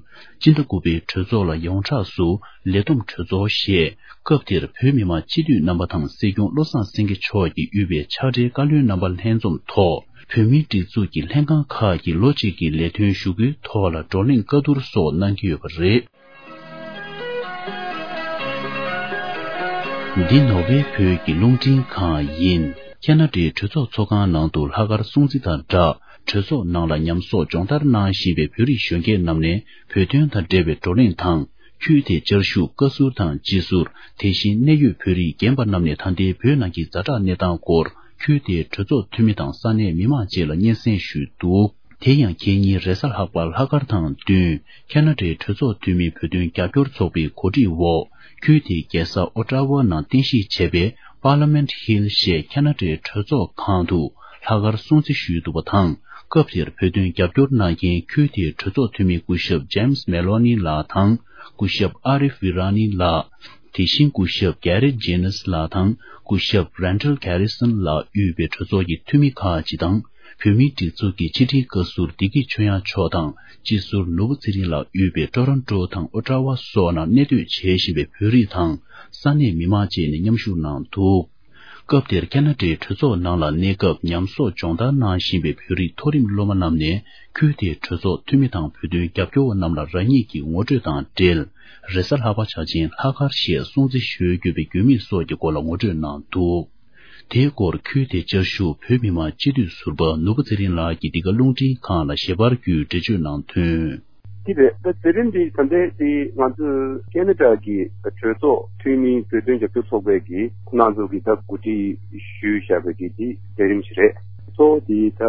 སྤྱི་ཟླ་དགུ་པའི་གྲོས་ཚོགས་ལ་ཡོངས་གྲགས་སུ་ལས་བསྡོམས་གྲོས་ཚོགས་ཞེས། སྐབས་དེར་བོད་མི་མང་སྤྱི་འཐུས་རྣམ་པ་དང་སྲིད་སྐྱོང་བློ་བཟང་སེང་གེ་མཆོག་གིས་དབུས་པའི་ཕྱག་སྦྲེལ་བཀའ་བློན་རྣམ་པ་ལྷན་འཛོམས་ཐོག་བོད་མིའི་སྒྲིག་འཛུགས་ཀྱི་ལྷན་ཁང་ཁག་གི་ལོ་གཅིག་གི་ལས་དོན་ཞུ་སྐུལ་ཐོག་ལ་བགྲོ་གླེང་བཀའ་བསྡུར་སོགས་གནང་གི་ཡོད་པ་རེད། འདི་ནོར་ཝེ་བོད་ཀྱི་རླུང་འཕྲིན་ཁང་ཡིན། ཁ་ན་ཌའི་གྲོས་ཚོགས་ཚོགས་ཁང་ནང་དུ་ལྷག་དཀར་སྲུང་བརྩི་དང་སྦྲགས། གྲོས་ཚོགས་ནང་ལ་ཉམས་གསོག་སྦྱོང་བརྡར་གནང་བཞིན་པའི་བོད་རིགས་གཞོན་སྐྱེས་རྣམས་ནས་བོད་དོན་དང་འབྲེལ་བའི་བགྲོ་གླེང་དང་། ཁུལ་དེའི་བཅའ་བཞུགས་བཀའ་ཟུར་དང་སྤྱི་ཟུར། དེ་བཞིན་གནད་ཡོད་བོད་རིགས་རྒན་པ་རྣམས་ནས་ད་ལྟའི་བོད་ནང་གི་ཛ་དྲག་གནས་སྟངས་སྐོར་ཁུལ་དེའི་གྲོས་ཚོགས་འཐུས་མི་དང་ས་གནས་མི་མང་བཅས་ལ་སྙན་སེང་ཞུས་འདུག། དེ་ཡང་ཁེ་ཉིན་རེས་གཟའ་ལྷག་པ་ལྷག་དཀར་དང་བསྟུན། ཁ་ན་ཌའི་གྲོས་ཚོགས་འཐུས་མིའི་བོད་དོན་རྒྱབ་སྐྱོར་ཚོགས་པའི་གོ་སྒྲིག་འོག་ཁུལ་དེའི་རྒྱལ་ས་ཨོ་ཊ་ཝ་ནང་རྟེན་གཞི་བྱས་པའི་Parliament Hill ཞེས་ཁ་ན་ཌའི་གྲོས་ཚོགས་ཁང་དུ་ལྷག་དཀར་སྲུང་བརྩི་ཞུས་འདུག་པ་དང་། སྐབས་དེར་བོད་དོན་རྒྱབ་སྐྱོར་གནང་མཁན་ཁུལ་དེའི་གྲོས་ཚོགས་འཐུས་མི་སྐུ་ཞབས་James Maloney ལགས་དང་། སྐུ་ཞབས་ཨ་རིཕ་ཝི་ར་ནི་ལགས། དེ་བཞིན་སྐུ་ཞབས་Garrett Jenness ལགས་དང་སྐུ་ཞབས་Randall Garrison ལགས་དབུས་པའི་གྲོས་ཚོགས་ཀྱི་འཐུས་མི་ཁག་ཅིག་དང་། བོད་མིའི་སྒྲིག་འཛུགས་ཀྱི་ཕྱི་དྲིལ་བཀའ་ཟུར་བདེ་སྐྱིད་ཆོས་དབྱངས་མཆོག་དང་སྤྱི་ཟུར་ནོར་བུ་ཚེ་རིང་ལགས་དབུས་པའི་ཀྲོ་རོན་ཀྲོ་དང་ཨོ་ཊ་ཝ་སོགས་ནང་གནས་སྡོད་བྱེད་བཞིན་པའི་བོད་རིགས་དང་ས་གནས་མི་མང་བཅས་ནས་མཉམ་ཞུགས་གནང་འདུག། སྐབས་དེར་ཁ་ན་ཌའི་གྲོས་ཚོགས་ནང་ལ་གནས་སྐབས་ཉམས་གསོག་སྦྱོང་བརྡར་གནང་བཞིན་པའི་བོད་རིགས་མཐོ་རིམ་སློབ་མ་རྣམས་ནས་ཁུལ་དེའི་གྲོས་ཚོགས་འཐུས་མི་དང་བོད་དོན་རྒྱབ་སྐྱོར་བ་རྣམས་ལ་རང་ཉིད་ཀྱི་ངོ་སྤྲོད་དང་འབྲེལ། རེས་གཟའ་ལྷག་པ་ཆ་ཅན་ལྷག་དཀར་ཞེས་སྲུང་བརྩི་ཞུ་དགོས་པའི་དགོས་དམིགས་སོགས་ཀྱི་སྐོར་ལ་ངོ་སྤྲོད་གནང་འདུག། དེའི་སྐོར་ཁུལ་དེའི་བཅའ་བཞུགས་བོད་མི་མང་སྤྱི་འཐུས་ཟུར་པ་ནོར་བུ་ཚེ་རིང་ལགས་ཀྱིས་འདི་ག་རླུང་འཕྲིན་ཁང་ལ་ཞལ་པར་བརྒྱུད་འགྲེལ་བརྗོད་གནང་དོན། དེ་རེད། ད་དེ་རིང་འདི་ད་ལྟའི་དེ་ང་ཚོའི་ཁེ་ན་ཌ་གི་གྲོས་ཚོགས་འཐུས་མིའི་བོད་དོན་རྒྱབ་སྐྱོར་ཚོགས་པའི་གི་ཁོང་རྣམ་ཚོ་གི་ད་གོ་སྒྲིག་ཞུས་བཞག་པའི་གི་དེ་ལས་རིམ་ཞིག་རེད། གཙོ་བོ་དེ་ད་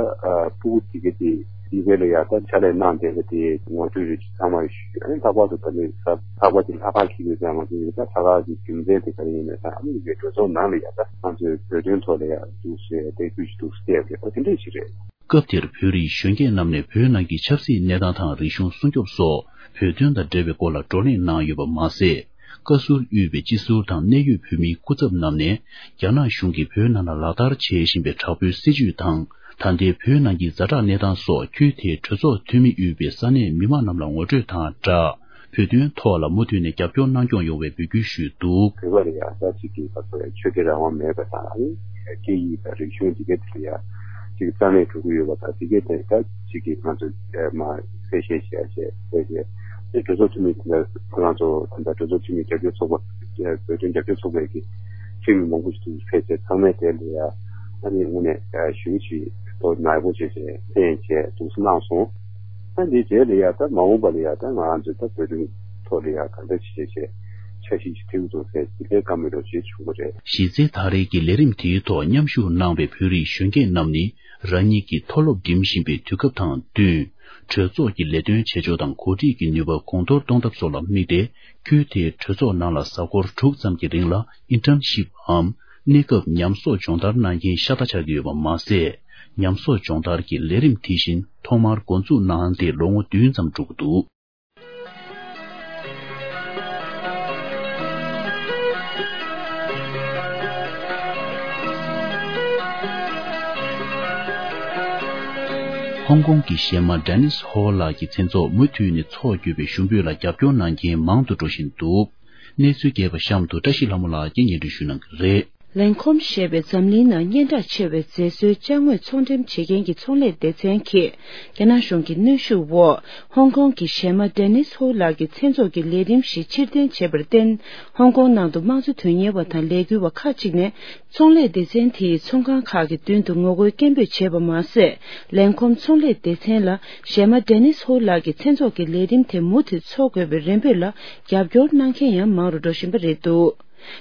ཕྲུ་གུ་དེ་གི་དེ། ཡི་གེ་ལ་ཡ་ད་ཕྱག་ལས་གནང་བསྡད་པ་དེ་ངོ་སྤྲོད་རེ་ཞིག་ཚང་མ་ཞུས། ཨ་ནི་ལྷག་པར་དུ་ད་ནི་ས་ལྷག་པར་དུ་ལྷག་པར་གྱི་ཡོད་ཙང་ང་ཚོ་ཡོད་ད་ལྷག་པར་གྱི་རྒྱུ་མཚན་དེ་ག་རེ་ཡིན་ན་ད་ཨ་མི་རི་ཀའི་གྲོས་ཚོགས་ནང་ལ་ཡ་ད་ང་ཚོའི་བོད་དོན་ཐོག་ལ་ཡ་འདུག་སེ་དེ་ཁུལ་ཞིག་འདུག་སེ་བལྟས་པ་རེད། ཨ་དེ་འདྲས་ཞིག་རེད། སྐབས་དེར་བོད་རིགས་གཞོན་སྐྱེས་རྣམས་ནས་བོད་ནང་གི་ཆབ་སྲིད་གནས་སྟངས་དང་རིག་གཞུང་སྲུང་སྐྱོབ་སོགས་བོད་དོན་དང་འབྲེལ་བའི་སྐོར་ལ་བགྲོ་གླེང་གནང་ཡོད་པ་མ་ཟད། བཀའ་ཟུར་དབུས་པའི་སྤྱི་ཟུར་དང་གནད་ཡོད་བོད་མིའི་སྐུ་ཚབ་རྣམས་ནས་རྒྱ་ནག་གཞུང་གིས་བོད་ནང་ལ་ལག་བསྟར་བྱེད་བཞིན་པའི་དྲག་པོའི་སྲིད་བྱུས་དང་ད་ལྟའི་བོད་ནང་གི་ཛ་དྲག་གནས་སྟངས་སོགས་ཁུལ་དེའི་གྲོས་ཚོགས་འཐུས་མི་དབུས་པའི་ས་གནས་མི་མང་རྣམས་ལ་ངོ་སྤྲོད་དང་སྦྲགས། བོད་དོན་ཐོག་ལ་མུ་མཐུད་ནས་རྒྱབ་སྐྱོར་གནང་སྐྱོང་ཡོང་བའི་འབོད་སྐུལ་ཞུས་འདུག། བོད་པ་ལ་ཡང་ད་ཅིག་གི་ཁ་ཐོག་ལ་ཆོས་དད་རང་དབང་མེད་པ་དང་སྐད་ཡིག་དང་རིག་གཞུང་འདི་གའི་ཐད་ལ་ཡང་ཅིག་རྩ་མེད་འགྲོ་གི་ཡོད་པ་དང་འདི་གའི་ཐད་ད་ཅིག་གི་ང་ཚོ་མ་གསལ་བཤད་བྱས་བྱས་བྱས་བྱས་ཨེ་གྲོས་ཚོགས་འཐུས་མི་དེ་འདྲ་ཁོ་རང་ཚོ་ད་ལྟ་གྲོས་ཚོགས་འཐུས་མི་རྒྱབ་སྐྱོར་ཚོགས་པ་བོད་དོན་རྒྱབ་སྐྱོར་ཚོགས་པའི་གི་འཐུས་མི་མང་པོ་ཞིག་འདུག་ཕེབས་བྱས་ཚང་མས་དེ་ལ་ཡང་ཨ་ནི་དངོས་གནས་ཞུ་ཅིག་ཐོག་ནག་པོ་བྱས་བྱས་ལྷན་བྱས་འདུག་སེ་གནང་སོང་། ད་འདིའི་རྗེས་ལ་ཡ་ད་མ་འོངས་པ་ལ་ཡ་ད་ང་རང་ཚོས་ད་བོད་དོན་ཐོག་ལ་ཡ་གང་འདྲ་ཞིག་བྱས་བྱས་འཆར་གཞི་ཞིག་བཏིང་འདུག་ཟེར་ཅི་ལས་བཀའ་མོལ་རོགས་ཞེས་བྱུང་བ་རེད། གཞི་རྩའི་ད་རེས་ཀྱི་ལས་རིམ་དེའི་ཐོག་མཉམ་ཞུགས་གནང་བའི་བོད་རིགས་གཞོན་སྐྱེས་རྣམས་ནི་རང་ཉིད་ཀྱི་མཐོ་སློབ་འགྲིམ་བཞིན་པའི་དུས་སྐབས་དང་བསྟུན། གྲོས་ཚོགས་ཀྱི་ལས་དོན་བྱེད་ཕྱོགས་དང་འགོ་ཁྲིད་ཀྱི་ནུས་པ་གོང་མཐོར་གཏོང་ཐབས་སོགས་ལ་དམིགས་ཏེ་ཁུལ་དེའི་གྲོས་ཚོགས་ནང་ལ་གཟའ་འཁོར་དྲུག་ཙམ་གྱི་རིང་ལ་ཨིན་ཊརན་ཤིབ་འམ། གནས་སྐབས་ཉམས་གསོག་སྦྱོང་བརྡར་གནང་མཁན་ཤ་སྟག་ཆགས་ཀྱི་ཡོད་པ་མ་ཟད། ཉམས་གསོག་སྦྱོང་བརྡར་གྱི་ལས་རིམ་དེ་བཞིན་ཐོག་མར་འགོ་འཛུགས་གནང་སྟེ་ལོ་ངོ་བདུན་ཙམ་འགྲོ་གི་འདུག། ཧོང་ཀོང་གི་གཞས་མ་ཌེ་ནིས་ཧོ་ལགས་ཀྱི་མཚན་ཚོགས་མུ་མཐུད་ནས་འཚོགས་དགོས་པའི་ཞུ་འབོད་ལ་རྒྱབ་སྐྱོར་གནང་མཁན་མང་དུ་འགྲོ་བཞིན་འདུག། གནས་ཚུལ་རྒྱས་པ་གཤམ་དུ་བཀྲ་ཤིས་ལྷ་མོ་ལགས་ཀྱིས་སྙན་སྒྲོན་ཞུ་གནང་གི་རེད། ལན་ཁོམ་ཞེས་པའི་འཛམ་གླིང་ནང་སྙན་གྲགས་ཆེ་བའི་མཛེས་བཟོའི་ཅ་དངོས་ཚོང་འགྲེམས་བྱེད་མཁན་གྱི་ཚོང་ལས་སྡེ་ཚན་གྱིས་རྒྱ་ནག་གཞུང་གི་གནོན་ཤུགས་འོག་ཧོང་ཀོང་གི་གཞས་མ་ཌེ་ནིས་ཧོ་ལགས་ཀྱི་མཚན་ཚོགས་ཀྱི་ལས་རིམ་ཞིག་ཕྱིར་འཐེན་བྱས་པར་བརྟེན། ཧོང་ཀོང་ནང་དུ་དམངས་གཙོ་དོན་གཉེར་བ་དང་ལས་འགུལ་བ་ཁག་ཅིག་ནས་ཚོང་ལས་སྡེ་ཚན་དེའི་ཚོང་ཁང་ཁག་གི་མདུན་དུ་ངོ་རྒོལ་སྐད་འབོད་བྱས་པ་མ་ཟད། ལན་ཁོམ་ཚོང་ལས་སྡེ་ཚན་ལ་གཞས་མ་ཌེ་ནིས་ཧོ་ལགས་ཀྱི་མཚན་ཚོགས་ཀྱི་ལས་རིམ་དེ་མུ་མཐུད་འཚོགས་དགོས་པའི་རེ་འབོད་ལ་རྒྱབ་སྐྱོར་གནང་མཁན་ཡང་མང་རུ་འགྲོ་བཞིན་པ་རེད་འདུག།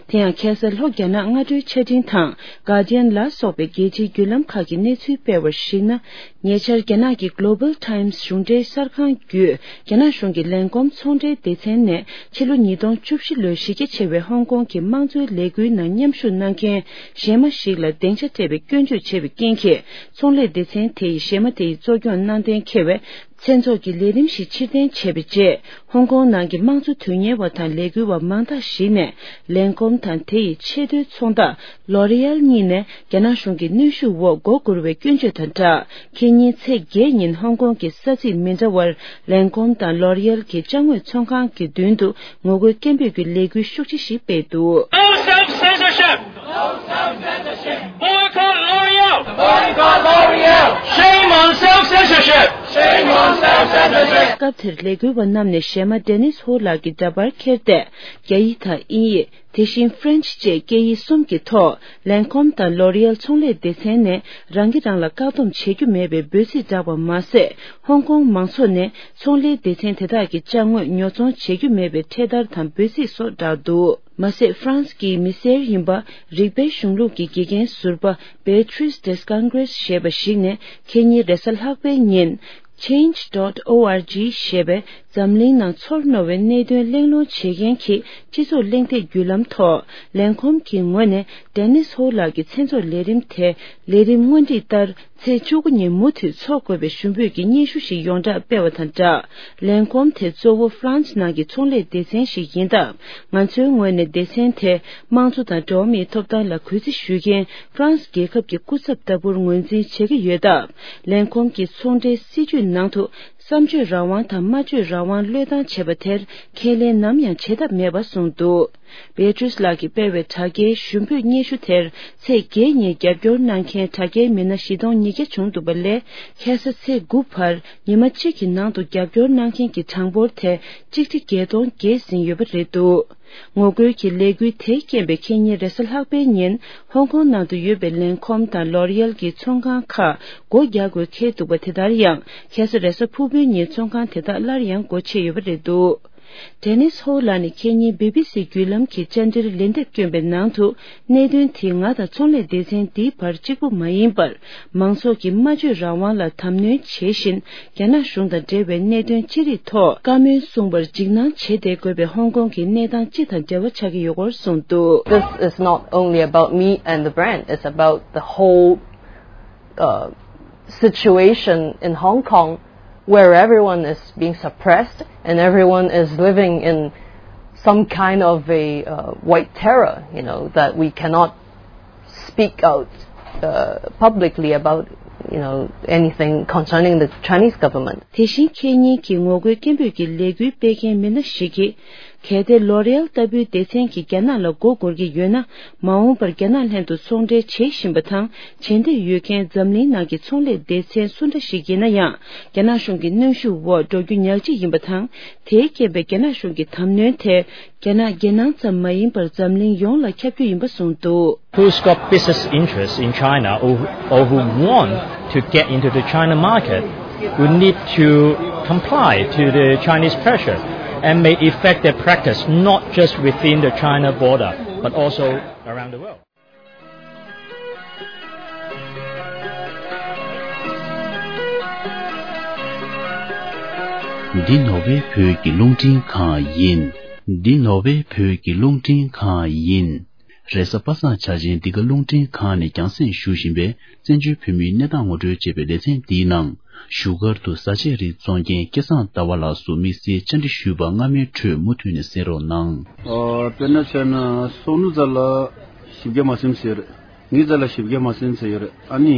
དེ་ཡང་ཁ་སང་ལྷོ་རྒྱ་ནག་སྔ་དྲོའི་ཆ་འཕྲིན་ཐང་Guardian ལ་སོགས་པའི་རྒྱལ་སྤྱིའི་བརྒྱུད་ལམ་ཁག་གིས་གནས་ཚུལ་སྤེལ་བར་གཞིགས་ན། ཉེ་ཆར་རྒྱ་ནག་གི་Global Times གཞུང་འབྲེལ་གསར་ཁང་བརྒྱུད་རྒྱ་ནག་གཞུང་གི་ལན་ཀོམ་ཚོང་འབྲེལ་སྡེ་ཚན་ནས་ཕྱི་ལོ་ཉིས་སྟོང་བཅུ་བཞི་ལོའི་གཞི་རྒྱ་ཆེ་བའི་ཧོང་ཀོང་གི་དམངས་གཙོའི་ལས་འགུལ་ནང་མཉམ་ཞུགས་གནང་མཁན་གཞས་མ་ཞིག་ལ་སྡིངས་ཆ་སྤྲད་པའི་སྐྱོན་བརྗོད་བྱས་པའི་རྐྱེན་གྱིས་ཚོང་ལས་སྡེ་ཚན་དེ་ཡིས་གཞས་མ་དེ་ཡི་གཙོ་སྐྱོང་གནང་གཏན་འཁེལ་བས། མཚན་ཚོགས་ཀྱི་ལས་རིམ་ཞིག་ཕྱིར་འཐེན་བྱས་པའི་རྗེས། ཧོང་ཀོང་ནང་གི་དམངས་གཙོ་དོན་གཉེར་བ་དང་ལས་འགུལ་བ་མང་དག་ཞིག་ནས། ལན་ཀོམ་དང་དེ་ཡི་ཆེས་མཐོའི་ཚོང་བདག་ལོ་རི་ཨེལ་གཉིས་ནས་རྒྱ་ནག་གཞུང་གི་གནོན་ཤུགས་འོག་མགོ་སྒུར་བའི་སྐྱོན་བརྗོད་དང་སྦྲགས། ཁེ་ཉིན་ཚེས་བརྒྱད་ཉིན་ཧོང་ཀོང་གི་ས་ཚིགས་མི་འདྲ་བར་ལན་ཀོམ་དང་ལོ་རི་ཨེལ་གྱི་ཅ་དངོས་ཚོང་ཁང་གི་མདུན་དུ་ངོ་རྒོལ་སྐད་འབོད་ཀྱི་ལས་འགུལ་ཤུགས་ཆེ་ཞིག་སྤེལ་འདུག། No self-censorship! Boycott L'Oreal! Boycott L'Oreal! Shame on self-censorship! Shame on self-censorship! སྐབས་དེར་ལས་འགུལ་བ་རྣམས་ནས་གཞས་མ་ཌེ་ནིས་ཧོ་ལགས་ཀྱི་འདྲ་པར་ཁྱེར་ཏེ། རྒྱ་ཡིག་དང་དབྱིན་ཡིག་དེ་བཞིན་French་བཅས་སྐད་ཡིག་གསུམ་གྱི་ཐོག་ལན་ཀོམ་དང་ལོ་རི་ཨེལ་ཚོང་ལས་སྡེ་ཚན་ནས་རང་གིས་རང་ལ་བཀག་སྡོམ་བྱེད་རྒྱུ་མེད་པའི་འབོད་ཚིག་བསྒྲགས་པ་མ་ཟད། ཧོང་ཀོང་མང་ཚོགས་ནས་ཚོང་ལས་སྡེ་ཚན་དེ་དག་གི་ཅ་དངོས་ཉོ་ཚོང་བྱེད་རྒྱུ་མེད་པའི་འཕྲེད་དར་དང་འབོད་ཚིག་སོགས་བསྒྲགས་འདུག། མ་ཟད། ཧྥ་རན་སི་གི་མི་སེར་ཡིན་པ། རིགས་པའི་གཞུང་ལུགས་ཀྱི་དགེ་རྒན་ཟུར་པ། Beatriz Descangres་ཞེས་པ་ཞིག་ནས། ཁེ་ཉིན་རེས་གཟའ་ལྷག་པའི་ཉིན། Change dot org་ཞེས་པའི་འཛམ་གླིང་ནང་ཚོར་རྣོ་བའི་གནད་དོན་གླེང་སློང་བྱེད་མཁན་གྱི་སྤྱི་ཚོགས་གླེང་སྟེགས་བརྒྱུད་ལམ་ཐོག་ལན་ཀོམ་གྱི་ངོས་ནས། ཌེ་ནིས་ཧོ་ལགས་ཀྱི་མཚན་ཚོགས་ལས་རིམ་དེ། ལས་རིམ་སྔོན་སྒྲིག་ལྟར། ཚེས་བཅུ་དགུ་ཉིན་མུ་མཐུད་འཚོགས་དགོས་པའི་ཞུ་འབོད་ཀྱི་སྙན་ཞུ་ཞིག་ཡོངས་གྲགས་སྤེལ་བ་དང་སྦྲགས། ལན་ཀོམ་དེ་གཙོ་བོ་ཧྥ་རན་སི་ནང་གི་ཚོང་ལས་སྡེ་ཚན་ཞིག་ཡིན་སྟབས། ང་ཚོའི་ངོས་ནས་སྡེ་ཚན་དེ་དམངས་གཙོ་དང་འགྲོ་བ་མིའི་ཐོབ་ཐང་ལ་གུས་བརྩི་ཞུ་མཁན་ཧྥ་རན་སི་རྒྱལ་ཁབ་ཀྱི་སྐུ་ཚབ་ལྟ་བུར་ངོས་འཛིན་བྱེད་ཀྱི་ཡོད་སྟབས། ལན་ཀོམ་གྱི་ཚོང་འབྲེལ་སྲིད་ཇུས་ནང་དུ་བསམ་བརྗོད་རང་དབང་དང་སྨྲ་བརྗོད་རང་དབང་བློས་བཏང་བྱས་པ་དེར་ཁས་ལེན་ནམ་ཡང་བྱེད་ཐབས་མེད་པ་གསུངས་འདུག། Beatriz་ལགས་ཀྱིས་སྤེལ་བའི་དྲ་རྒྱའི་ཞུ་འབོད་སྙན་ཞུ་དེར་ཚེས་བརྒྱད་ཉིན་རྒྱབ་སྐྱོར་གནང་མཁན་དྲ་རྒྱའི་མི་སྣ་བཞི་སྟོང་ཉིས་བརྒྱ་བྱུང་འདུག་པ་ལས། ཁ་སང་ཚེས་དགུ་བར་ཉི་མ་གཅིག་གི་ནང་དུ་རྒྱབ་སྐྱོར་གནང་མཁན་གྱི་གྲངས་འབོར་དེ་གཅིག་ཁྲི་བརྒྱད་སྟོང་བརྒལ་ཟིན་ཡོད་པ་རེད་འདུག། ངོ་རྒོལ་གྱི་ལས་འགུལ་དེས་རྐྱེན་པས་ཁེ་ཉིན་རེས་གཟའ་ལྷག་པའི་ཉིན་ཧོང་ཀོང་ནང་དུ་ཡོད་པའི་ལན་ཀོམ་དང་ལོ་རི་ཨེལ་གྱི་ཚོང་ཁང་ཁག་སྒོ་རྒྱག་དགོས་འཁེལ་འདུག་པ། དེ་ལྟར་ཡང་ཁ་སང་རེས་གཟའ་ཕུར་བུའི་ཉིན་ཚོང་ཁང་དེ་དག་སླར་ཡང་སྒོ་ཕྱེ་ཡོད་པ་རེད་འདུག། ཌེ་ནིས་ཧོ་ལགས་ནས་ཁེ་ཉིན་བི་བི་སི་བརྒྱུད་ལམ་གྱི་བཅར་འདྲིར་ལན་འདེབས་བསྐྱོན་པའི་ནང་དུ། གནད་དོན་དེ་ང་དང་ཚོང་ལས་སྡེ་ཚན་འདིའི་བར་གཅིག་པུ་མ་ཡིན་པར། མང་ཚོགས་ཀྱི་སྨྲ་བརྗོད་རང་དབང་ལ་དམ་གནོན་བྱེད་བཞིན། རྒྱ་ནག་གཞུང་དང་འབྲེལ་བའི་གནད་དོན་ཅི་རིགས་ཐོག་བཀའ་མོལ་གསུང་པར་འཇིགས་སྣང་བྱེད་བསྡད་དགོས་པའི་ཧོང་ཀོང་གི་གནས་སྟངས་སྤྱི་དང་འབྲེལ་བ་ཆགས་ཀྱི་ཡོད་སྐོར་གསུངས་འདུག། This is not only about me and the brand, it's about the whole uh, situation in Hong Kong where everyone is being suppressed and everyone is living in some kind of a uh, white terror, you know, that we cannot speak out uh, publicly about, you know, anything concerning the Chinese government. དེ་བཞིན་ཁེ་ཉིན་གྱི་ངོ་རྒོལ་སྐད་འབོད་ཀྱི་ལས་འགུལ་སྤེལ་མཁན་མི་སྣ་ཞིག་གིས། གལ་ཏེ་ལོ་རེ་ཨལ་ལྟ་བུའི་སྡེ་ཚན་གྱིས་རྒྱ་ནག་ལ་མགོ་སྒུར་གྱི་ཡོད་ན། མ་འོངས་པར་རྒྱ་ནག་ལྷན་དུ་ཚོང་འབྲེལ་བྱེད་བཞིན་པ་དང་། བྱེད་འདོད་ཡོད་མཁན་འཛམ་གླིང་ནང་གི་ཚོང་ལས་སྡེ་ཚན་སུ་འདྲ་ཞིག་ཡིན་ན་ཡང་། རྒྱ་ནག་གཞུང་གི་གནོན་ཤུགས་འོག་འགྲོ་རྒྱུ་ཉག་གཅིག་ཡིན་པ་དང་། དེའི་རྐྱེན་པས་རྒྱ་ནག་གཞུང་གི་དམ་གནོན་དེ། རྒྱ་ནག་རྒྱལ་ནང་ཙམ་མ་ཡིན་པར་འཛམ་གླིང་ཡོངས་ལ་ཁྱབ་རྒྱུ་ཡིན་པ་གསུངས་འདུག། Who's got business interests in China or, or who want to get into the China market would need to comply to the Chinese pressure and may effect their practice not just within the China border but also around the world. འདི་ནོར་ཝེ་བོད་ཀྱི་རླུང་འཕྲིན་ཁང་ཡིན། འདི་ནོར་ཝེ་བོད་ཀྱི་རླུང་འཕྲིན་ཁང་ཡིན། རེས་གཟའ་པ་སངས་འཆར་ཅན་འདི་ག་རླུང་འཕྲིན་ཁང་ནས་རྒྱང་སྲིང་ཞུ་བཞིན་པའི་བཙན་བྱོལ་བོད་མིའི་གནས་སྟངས་ངོ་སྤྲོད་ཅེས་པའི་ལེ་ཚན་འདིའི་ནང་། བཞུགས་སྒར་དུ་བཟའ་ཆས་རིགས་བཙོང་མཁན་སྐལ་བཟང་ཟླ་བ་ལགས་སུ་དམིགས་བསལ་བཅར་འདྲི་ཞུས་པ་སྔ་མའི་ཁྲོད་མུ་མཐུད་ནས་གསན་རོགས་གནང་། ཨོ། དཔེར་ན་བྱས་ན་སོ་ནུ་ཛ་ལ་བཞི་བརྒྱ་མ་ཟིན་ཟེར། ངེད་ཙ་ལ་བཞི་བརྒྱ་མ་ཟིན་ཟེར་ཡོད་རེད། ཨ་ནི་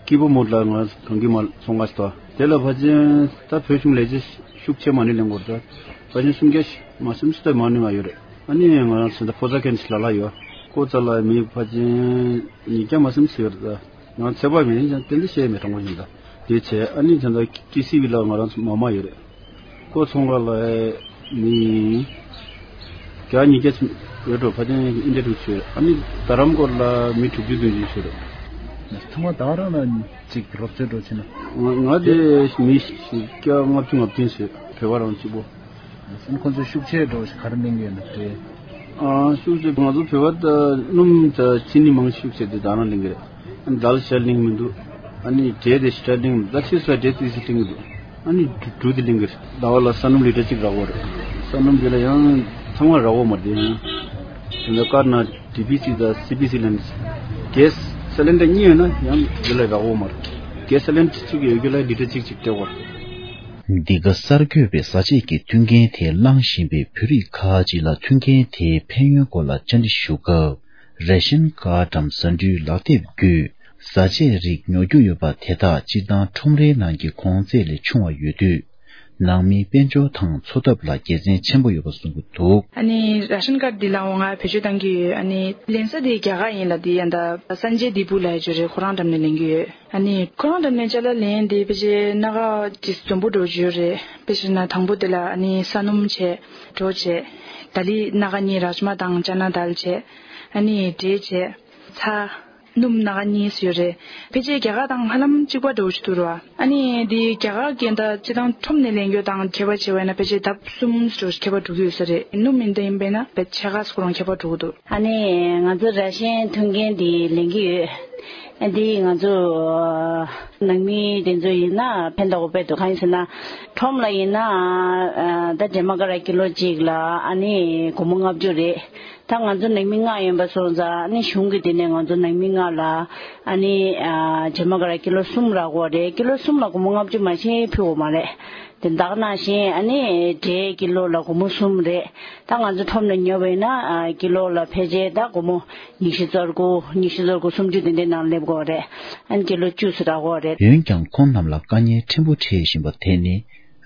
ཀི་པོ་མོ་ལ་ང་གང་གི་མ་ཚོང་ཁ་ཞིག་ཏོ། དེ་ལ་ཕ་ཆེན་ད་བོད་གཞུང་ལས་བྱེད་ཤུགས་ཆེ་མ་ནི་ལེན་དགོས་རེད། ཕ་ཆེན་སུམ་བརྒྱ་མ་ཟིན་ཟེར་མ་ནི་ང་ཡོད་རེད། ཨ་ནི་ང་རང་ཚོ་ད་ཕོ་ཚ་ཁན་ཞིག་ལ་ལ་ཡོད། ཀོ་ཙ་ལ་མི་ཕ་ཆེན་ཉིས་བརྒྱ་མ་ཟིན་ཟེར་ཡོད་རེད། ང་ཚེ་བ་མེད་ཡིན་ཀྱང་ཏན་ཏན་བཤད་མེད་དྲང་པོ་ཡིན་ད། དེ་བྱས་ཨ་ནི་ད་ལྟ་ཀི་སི་བི་ལ་ང་རང་ཚོ་མ་མ་ཡོད་རེད། ཀོ་ཚོང་ཁང་ལ་མི་བརྒྱ་ཉིས་བརྒྱ་ཙམ་ཡོད་འགྲོ། ཕ་ཆེན་ཨིན་ཌི་ཡ་ཊུ་ཆོས་ཨ་ནི་རྡ་རམ་སྐོར་ལ་མི་དྲུག་ཅུ་བདུན་ཅུ་ཡོད་རེད། ཚང་མ་ད་རང་ལ་ཅིག་རོབ་ཙེ་འགྲོ་ཕྱིན་ན། ང་ང་དེ་མི་བརྒྱ་ལྔ་བཅུ་ང་བདུན་ཟེར་བོད་པ་རང་གཅིག་པོ། ཁོང་ཚོ་ཤུགས་ཆེ་འགྲོ་ཞིག་ག་རེ་གླེང་གི་ཡོད་ན་དེ། ཨ་ཤུགས་ཆེ་ང་ཚོ་བོད་པ་ད་སྣུམ་ད་ཅི་ནི་མང་ཤུགས་ཆེ་དེ་ད་རང་གླེང་གི་རེད། ཨ་ནི་དལ་ཤ་གླེང་མི་འདུག། ཨ་ནི་འབྲས་དེ་ཤི་ཏྲ་གླེང་མི་འདུག། ད་ཆི་སོ་འབྲས་དེ་སི་གླེང་གི་འདུག། ཨ་ནི་འབྲུ་དེ་གླེང་གི་རེད། ཟླ་བ་ལ་ས་སྣུམ་ལི་ཏྲ་གཅིག་རག་གོ་རེད། ས་སྣུམ་དེ་ལ་ཡང་ཚང་མ་རག་གོ་མ་རེད་དེ་ཡང་། དེ་ལ་དཀར་ནག་ཌི་བི་སི་དང་སི་བི་སི་ལེན་ཌི། གེ་སི་སི་ལིན་ཌར་གཉིས་ཡོད་ན་ཡང་དེ་ལ་རག་གོ་མ་རེད། གེ་སི་སི་ལིན་ཌར་གཅིག་ཡོད་རྒྱུ་ལ་ལི་ཏྲ་གཅིག་གཅིག་སྤྲད་གོ་རེད། འདི་ག་གསར་འགོད་པས་བཟའ་ཆས་ཀྱི་མཐུན་རྐྱེན་དེ་བླངས་བཞིན་པའི་བོད་རིགས་ཁག་ཅིག་ལ་མཐུན་རྐྱེན་དེའི་ཕན་ཡོན་སྐོར་ལ་བཅར་འདྲི་ཞུ་སྐབས། རེ་ཤན་ཀར་ཌམ་ཟ་འབྲུའི་ལག་དེབ་བརྒྱུད་བཟའ་ཆས་རིགས་ཉོ་རྒྱུ་ཡོད་པ་དེ་དག་སྤྱིར་བཏང་ཁྲོམ་རའི་ནང་གི་གོང་ཚད་ལས་ཆུང་བ་ཡོད་དུས། ནང་མིའི་དཔལ་འབྱོར་དང་འཚོ་ཐབས་ལ་དགེ་མཚན་ཆེན་པོ་ཡོད་པ་གསུང་གི་འདུག། ཨ་ནི་ར་ཤན་ཀར་འདི་ལའང་ང་བེད་སྤྱོད་གཏང་གི་ཡོད། ཨ་ནི་ལེན་ས་དེ་རྒྱ་གར་ཡིན་ལ། དེ་ཡང་ད་སན་ཇེ་དི་པུ་ལ་ཡོད་རེད། ཁོ་རང་འགྲམ་ནས་ལེན་གི་ཡོད། ཨ་ནི་ཁོ་རང་འགྲམ་ནས་ཅ་ལག་ལེན་དེ་ཕལ་ཆེར་སྣ་ཁ་ཅིག་འཛོམས་པོ་འགྲོ་རྒྱུ་རེད། དཔེ་བཞག་ན་དང་པོ་དེ་ལ་ཨ་ནི་ས་སྣུམ་བྱས། གྲོ་བྱས། ད་ལི་སྣ་ཁ་གཉིས་རཱཇ་མ་དང་ཅ་ན་དཱལ་བྱས། ཨ་ནི་འབྲས་བྱས། ཚྭ། སྣུམ་སྣ་ཁ་གཉིས་ཡོད་རེད། ཕལ་ཆེར་རྒྱ་གར་དང་ཧ་ལམ་གཅིག་པ་འདྲ་བོ་ཞིག་འདུག་ར། ཨ་ནི་འདི་རྒྱ་གར་གྱི་ད་སྤྱིར་བཏང་ཁྲོམ་ནས་ལེན་རྒྱུ་དང་ཁྱད་པར་བྱས་པ་ཡིན་ན་ཕལ་ཆེར་ལྡབ་གསུམ་འདྲ་བོ་ཞིག་ཁྱད་པར་འགྲོ་གི་ཡོད་ས་རེད། སྣུམ་ཡིན་ད་ཡིན་པས་ན་བེད་ཆ་ག་སོ་རང་ཁྱད་པར་འགྲོ་གི་འདུག། ཨ་ནི་ང་ཚོ་ར་ཤན་མཐུན་རྐྱེན་འདི་ལེན་གྱི་ཡོད། ཨ་འདི་ང་ཚོ་ནང་མི་དེ་ཚོ་ཡིན་ན་ཕན་ཐོགས་དཔེ་འདུག། གང་ཡིན་ཟེར་ན་ཁྲོམ་ལ་ཡིན་ན་ཨ་ད་འབྲས་མ་ཀ་ར་ཀི་ལོ་གཅིག་ལ་ཨ་ནི་སྒོར་མོ་ལྔ་བཅུ་རེད། ད་ང་ཚོ་ནང་མི་ལྔ་ཡིན་པ་སོང་ཙང་ཨ་ནི་གཞུང་གི་དེ་ནས་ང་ཚོ་ནང་མི་ལྔ་ལ་ཨ་ནི་ཨ་འབྲས་མ་ཀ་ར་ཀི་ལོ་གསུམ་རག་གོ་རེད། ཀི་ལོ་གསུམ་ལ་སྒོར་མོ་ལྔ་བཅུ་མ་ཤེས་ཕུལ་གོ་མ་རེད། དེ་འདག་ནང་བཞིན་ཨ་ནི་འབྲས་ཀི་ལོ་ལ་སྒོར་མོ་གསུམ་རེད། ད་ང་ཚོ་ཁྲོམ་ནས་ཉོས་པ་ཡིན་ན་ཨ་ཀི་ལོ་ལ་ཕལ་ཆེར་ད་སྒོར་མོ་ཉི་ཤུ་རྩ་དགུ་ཉི་ཤུ་རྩ་དགུ་སུམ་ཅུ་དེ་འདྲའི་ནང་སླེབས་གོ་རེད། ཨ་ནི་ཀི་ལོ་བཅུ་ཙམ་རག་གོ་རེད། འོན་ཀྱང་ཁོང་རྣམས་ལ་དཀའ་ངལ་ཕྲན་བུ་འཕྲད་བཞིན་པ་དེ་ནི་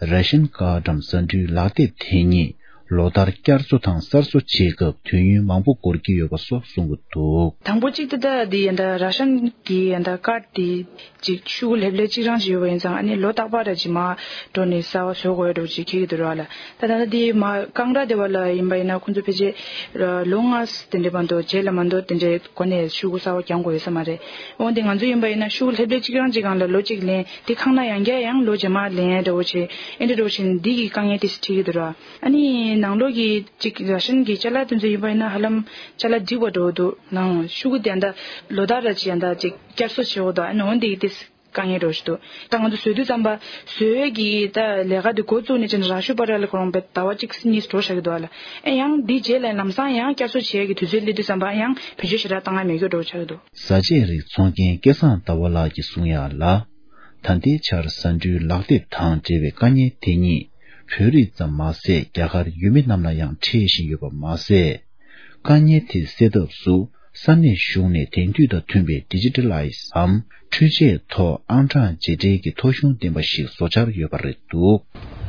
ར་ཤན་ཀར་ཌམ་ཟ་འབྲུའི་ལག་དེབ་དེ་ཉིད། ལོ་ལྟར་བསྐྱར་གསོ་དང་གསར་བཟོ་བྱེད་སྐབས་དུས་ཡུན་མང་པོ་འགོར་གྱི་ཡོད་པ་སོགས་གསུང་གི་འདུག། དང་པོ་གཅིག་ཏུ་ད་འདི་ཡ་ད་ར་ཤན་གྱི་ཡ་ད་ཀར་དེ་ཅིག་ཤུ་གུ་ལྷེབ་ལྷེབ་གཅིག་རང་ཞིག་ཡོད་པ་ཡིན་ཙང་ཨ་ནི་ལོ་རྟག་པར་ར་ཅིག་མ་འགྲོ་ནས་གསར་པ་བཟོ་དགོས་འགྲོ་ཅིག་ཁེལ་གྱི་འདུག་ར་ལ། ད་ད་ད་འདི་མ་ཀང་ར་དེ་བ་ལ་ཡིན་པ་ཡིན་ན་ཁོང་ཚོ་ཕལ་ཆེར་ལོ་ལྔ་དེ་འདྲའི་བར་དུ་རྗེས་ལ་མ་འདོད་དེ་འདྲའི་སྒོ་ནས་ཤུ་གུ་གསར་པ་རྒྱག་དགོས་ཡོད་ས་མ་རེད། འོན་ཏེ་ང་ཚོ་ཡིན་པ་ཡིན་ན་ཤུ་གུ་ལྷེབ་ལྷེབ་གཅིག་རང་གཅིག་སྒང་ལ་ལོ་གཅིག་ལེན་དེ་ཁང་ན་ཡང་བསྐྱར་ཡང་ལོ་རྗེས་མ་ལེན་འདྲ་བོ་བྱེད་ཨེ་འདྲ་འདྲ་བོ་བྱེད་འདི་གི་དཀའ་ངལ་དེ་འཕྲད་ཀྱི་འདུག་ར། ཨ་ནི་ནང་ལོགས་ཀྱི་གཅིག་ར་ཤན་གྱི་ཅ་ལག་དེ་ཚོ་ཡིན་པ་ཡིན་ན་ཧ་ལམ་ཅ་ལག་འགྲིག་པ་འདྲ་བོ་འདུག་ནང་ཤུ་གུ་དེ་འདྲ་ལོ་ལྟར་ར་ཅིག་ཡང་འདྲ་ཅིག་བསྐྱར་གསོ་བྱེད་འོ་འདུག་ཨ་ནི་འོན་ཏེ་དེ་དཀའ་ངལ་འདྲ་བོ་ཞིག་འདུག་ད་ང་ཚོ་བཟོ་དུས་ཙམ་པ་བཟོ་ཡས་ཀྱི་ད་ལས་ཀ་དེ་འགོ་བཙུགས་ནས་ཅིག་ར་ཤུ་པ་ར་ལ་ཁོ་རང་བས་ཟླ་བ་གཅིག་གཉིས་འགྲོ་བཞག་གི་འདུག་ཨ་ལ། ཨེ་ཡང་འདི་རྗེས་ལ་ལམ་སང་ཡང་བསྐྱར་གསོ་བྱེད་ཡས་ཀྱི་དུས་ཚོད་སླེབས་དུས་ཙམ་པ་ཡང་བེད་སྤྱོད་ཞེ་དྲག་བཏང་ཡ་མེད་རྒྱུ་འདྲ་བོ་ཆགས་ཀྱི་འདུག། བཟའ་ཆས་རིགས་འཚོང་མཁན་སྐལ་བཟང་ཟླ་བ་ལགས་ཀྱིས་གསུང་ཡག་ལ། ད་ལྟའི་ཆར་ཟ་འབྲུའི་ལག་དེབ་དང་འབྲེལ་བའི་དཀའ་ངལ་དེ་ཉིད་བོད་རིགས་ཙམ་མ་ཟད་རྒྱ་གར་ཡུལ་མི་རྣམས་ལ་ཡང་འཕྲད་བཞིན་ཡོད་པ་མ་ཟད། དཀའ་ངལ་དེ་སེལ་ཐབས་སུ་ས་གནས་གཞུང་ནས་དེང་དུས་དང་མཐུན་པའི་ཌི་ཇི་ཊལ་ལའི་ཛི་སམ་འཕྲུལ་ཆས་ཐོག་ཨང་གྲངས་རྗེས་དྲན་གྱི་ཐོ་གཞུང་ལྡན་པ་ཞིག་བཟོ་འཆར་ཡོད་པ་རེད་འདུག།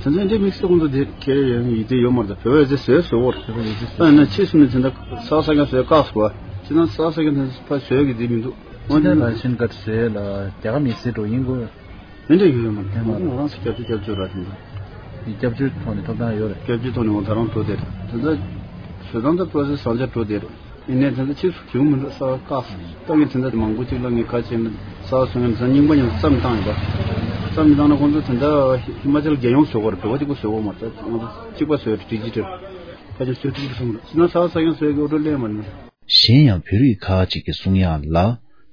དེ་ཚོ་འདི་དམིགས་བསལ་ཁོང་ཚོ་དེ་ཁྱེར་ཡོང་ཡིད་དེ་ཡོད་མ་རེད། བོད་པ་ཚོས་བཟོས་བཟོ་བོར་ད་ཡིན་ན་ཕྱིས་སུ་ནས་དེ་འདྲ་ས་ས་ཀྱང་བཟོས་བཀག་སོང་བ་ཅི་ན་ས་ས་ཀྱང་དེ་ཕ་བཟོས་ཀྱི་དེ་མི་འདུག། འོན་ཏེ་ལ་ཤིན་ཀར་བཟོས་ལ་རྒྱ་གར་མི་སེར་འགྲོ་ཡིན་དགོས། དེ་འདྲ་ཡོད་ཡོད་མ་རེད། དེ་མ་རེད། ང་རང་ཚོ་སྐྱབས་བཅོལ་སྐྱབས་བཅོལ་ར་དེ་འདྲ། སྐྱབས་བཅོལ་ཐོག་ནས་ཐོབ་ཐང་ཡོད་རེད། སྐྱབས་བཅོལ་ཐོག་ནས་འོ་ད་རང་འགྲོ་དེ་རེད། དེ་འདྲ་བཟོས་སྟངས་དེ་པོ་རོ་སེ་སི་བཟང་ཆ་འགྲོ་དེ་རེད། ཡིན་ནའི་དེ་ཚོ་ཕྱིས་སུ་བྱུང་མི་འདུག་ས་བཀག་སོང་། ད་ངས་དེ་འདྲ་མང་པོ་གཅིག་ལ་ངས་ཁ་ཕྱེ་ན་ས་བཟོ་མཁན་ཚོ་རྙིང་པ་ཡིན་ན་བརྩམས་བཏང་ཡོད་པ། བརྩམས་བཏང་ན་ཁོང་ཚོ་དེ་འདྲ་ཧི་མ་ཅལ་རྒྱལ་ཡོངས་བཟོ་དགོས་རེད། བོད་པ་གཅིག་པོ་བཟོ་དགོས་མ་རེད། ང་ཚོ་གཅིག་པ་བཟོས་རེད། ཌི་ཇི་ཊལ་ཕལ་ཆེར་བཟོས་ཐུབ་ཀྱི་སོང་རེད། ཕྱིན་ན་ས་ས་ཡང་བཟོས་ཀྱི་ཨོ་ཊོ་ལེན་མ་རེད། གཞན་ཡང་བོད་རིགས་ཁག་ཅིག་གིས་གསུང་ཡག་ལ།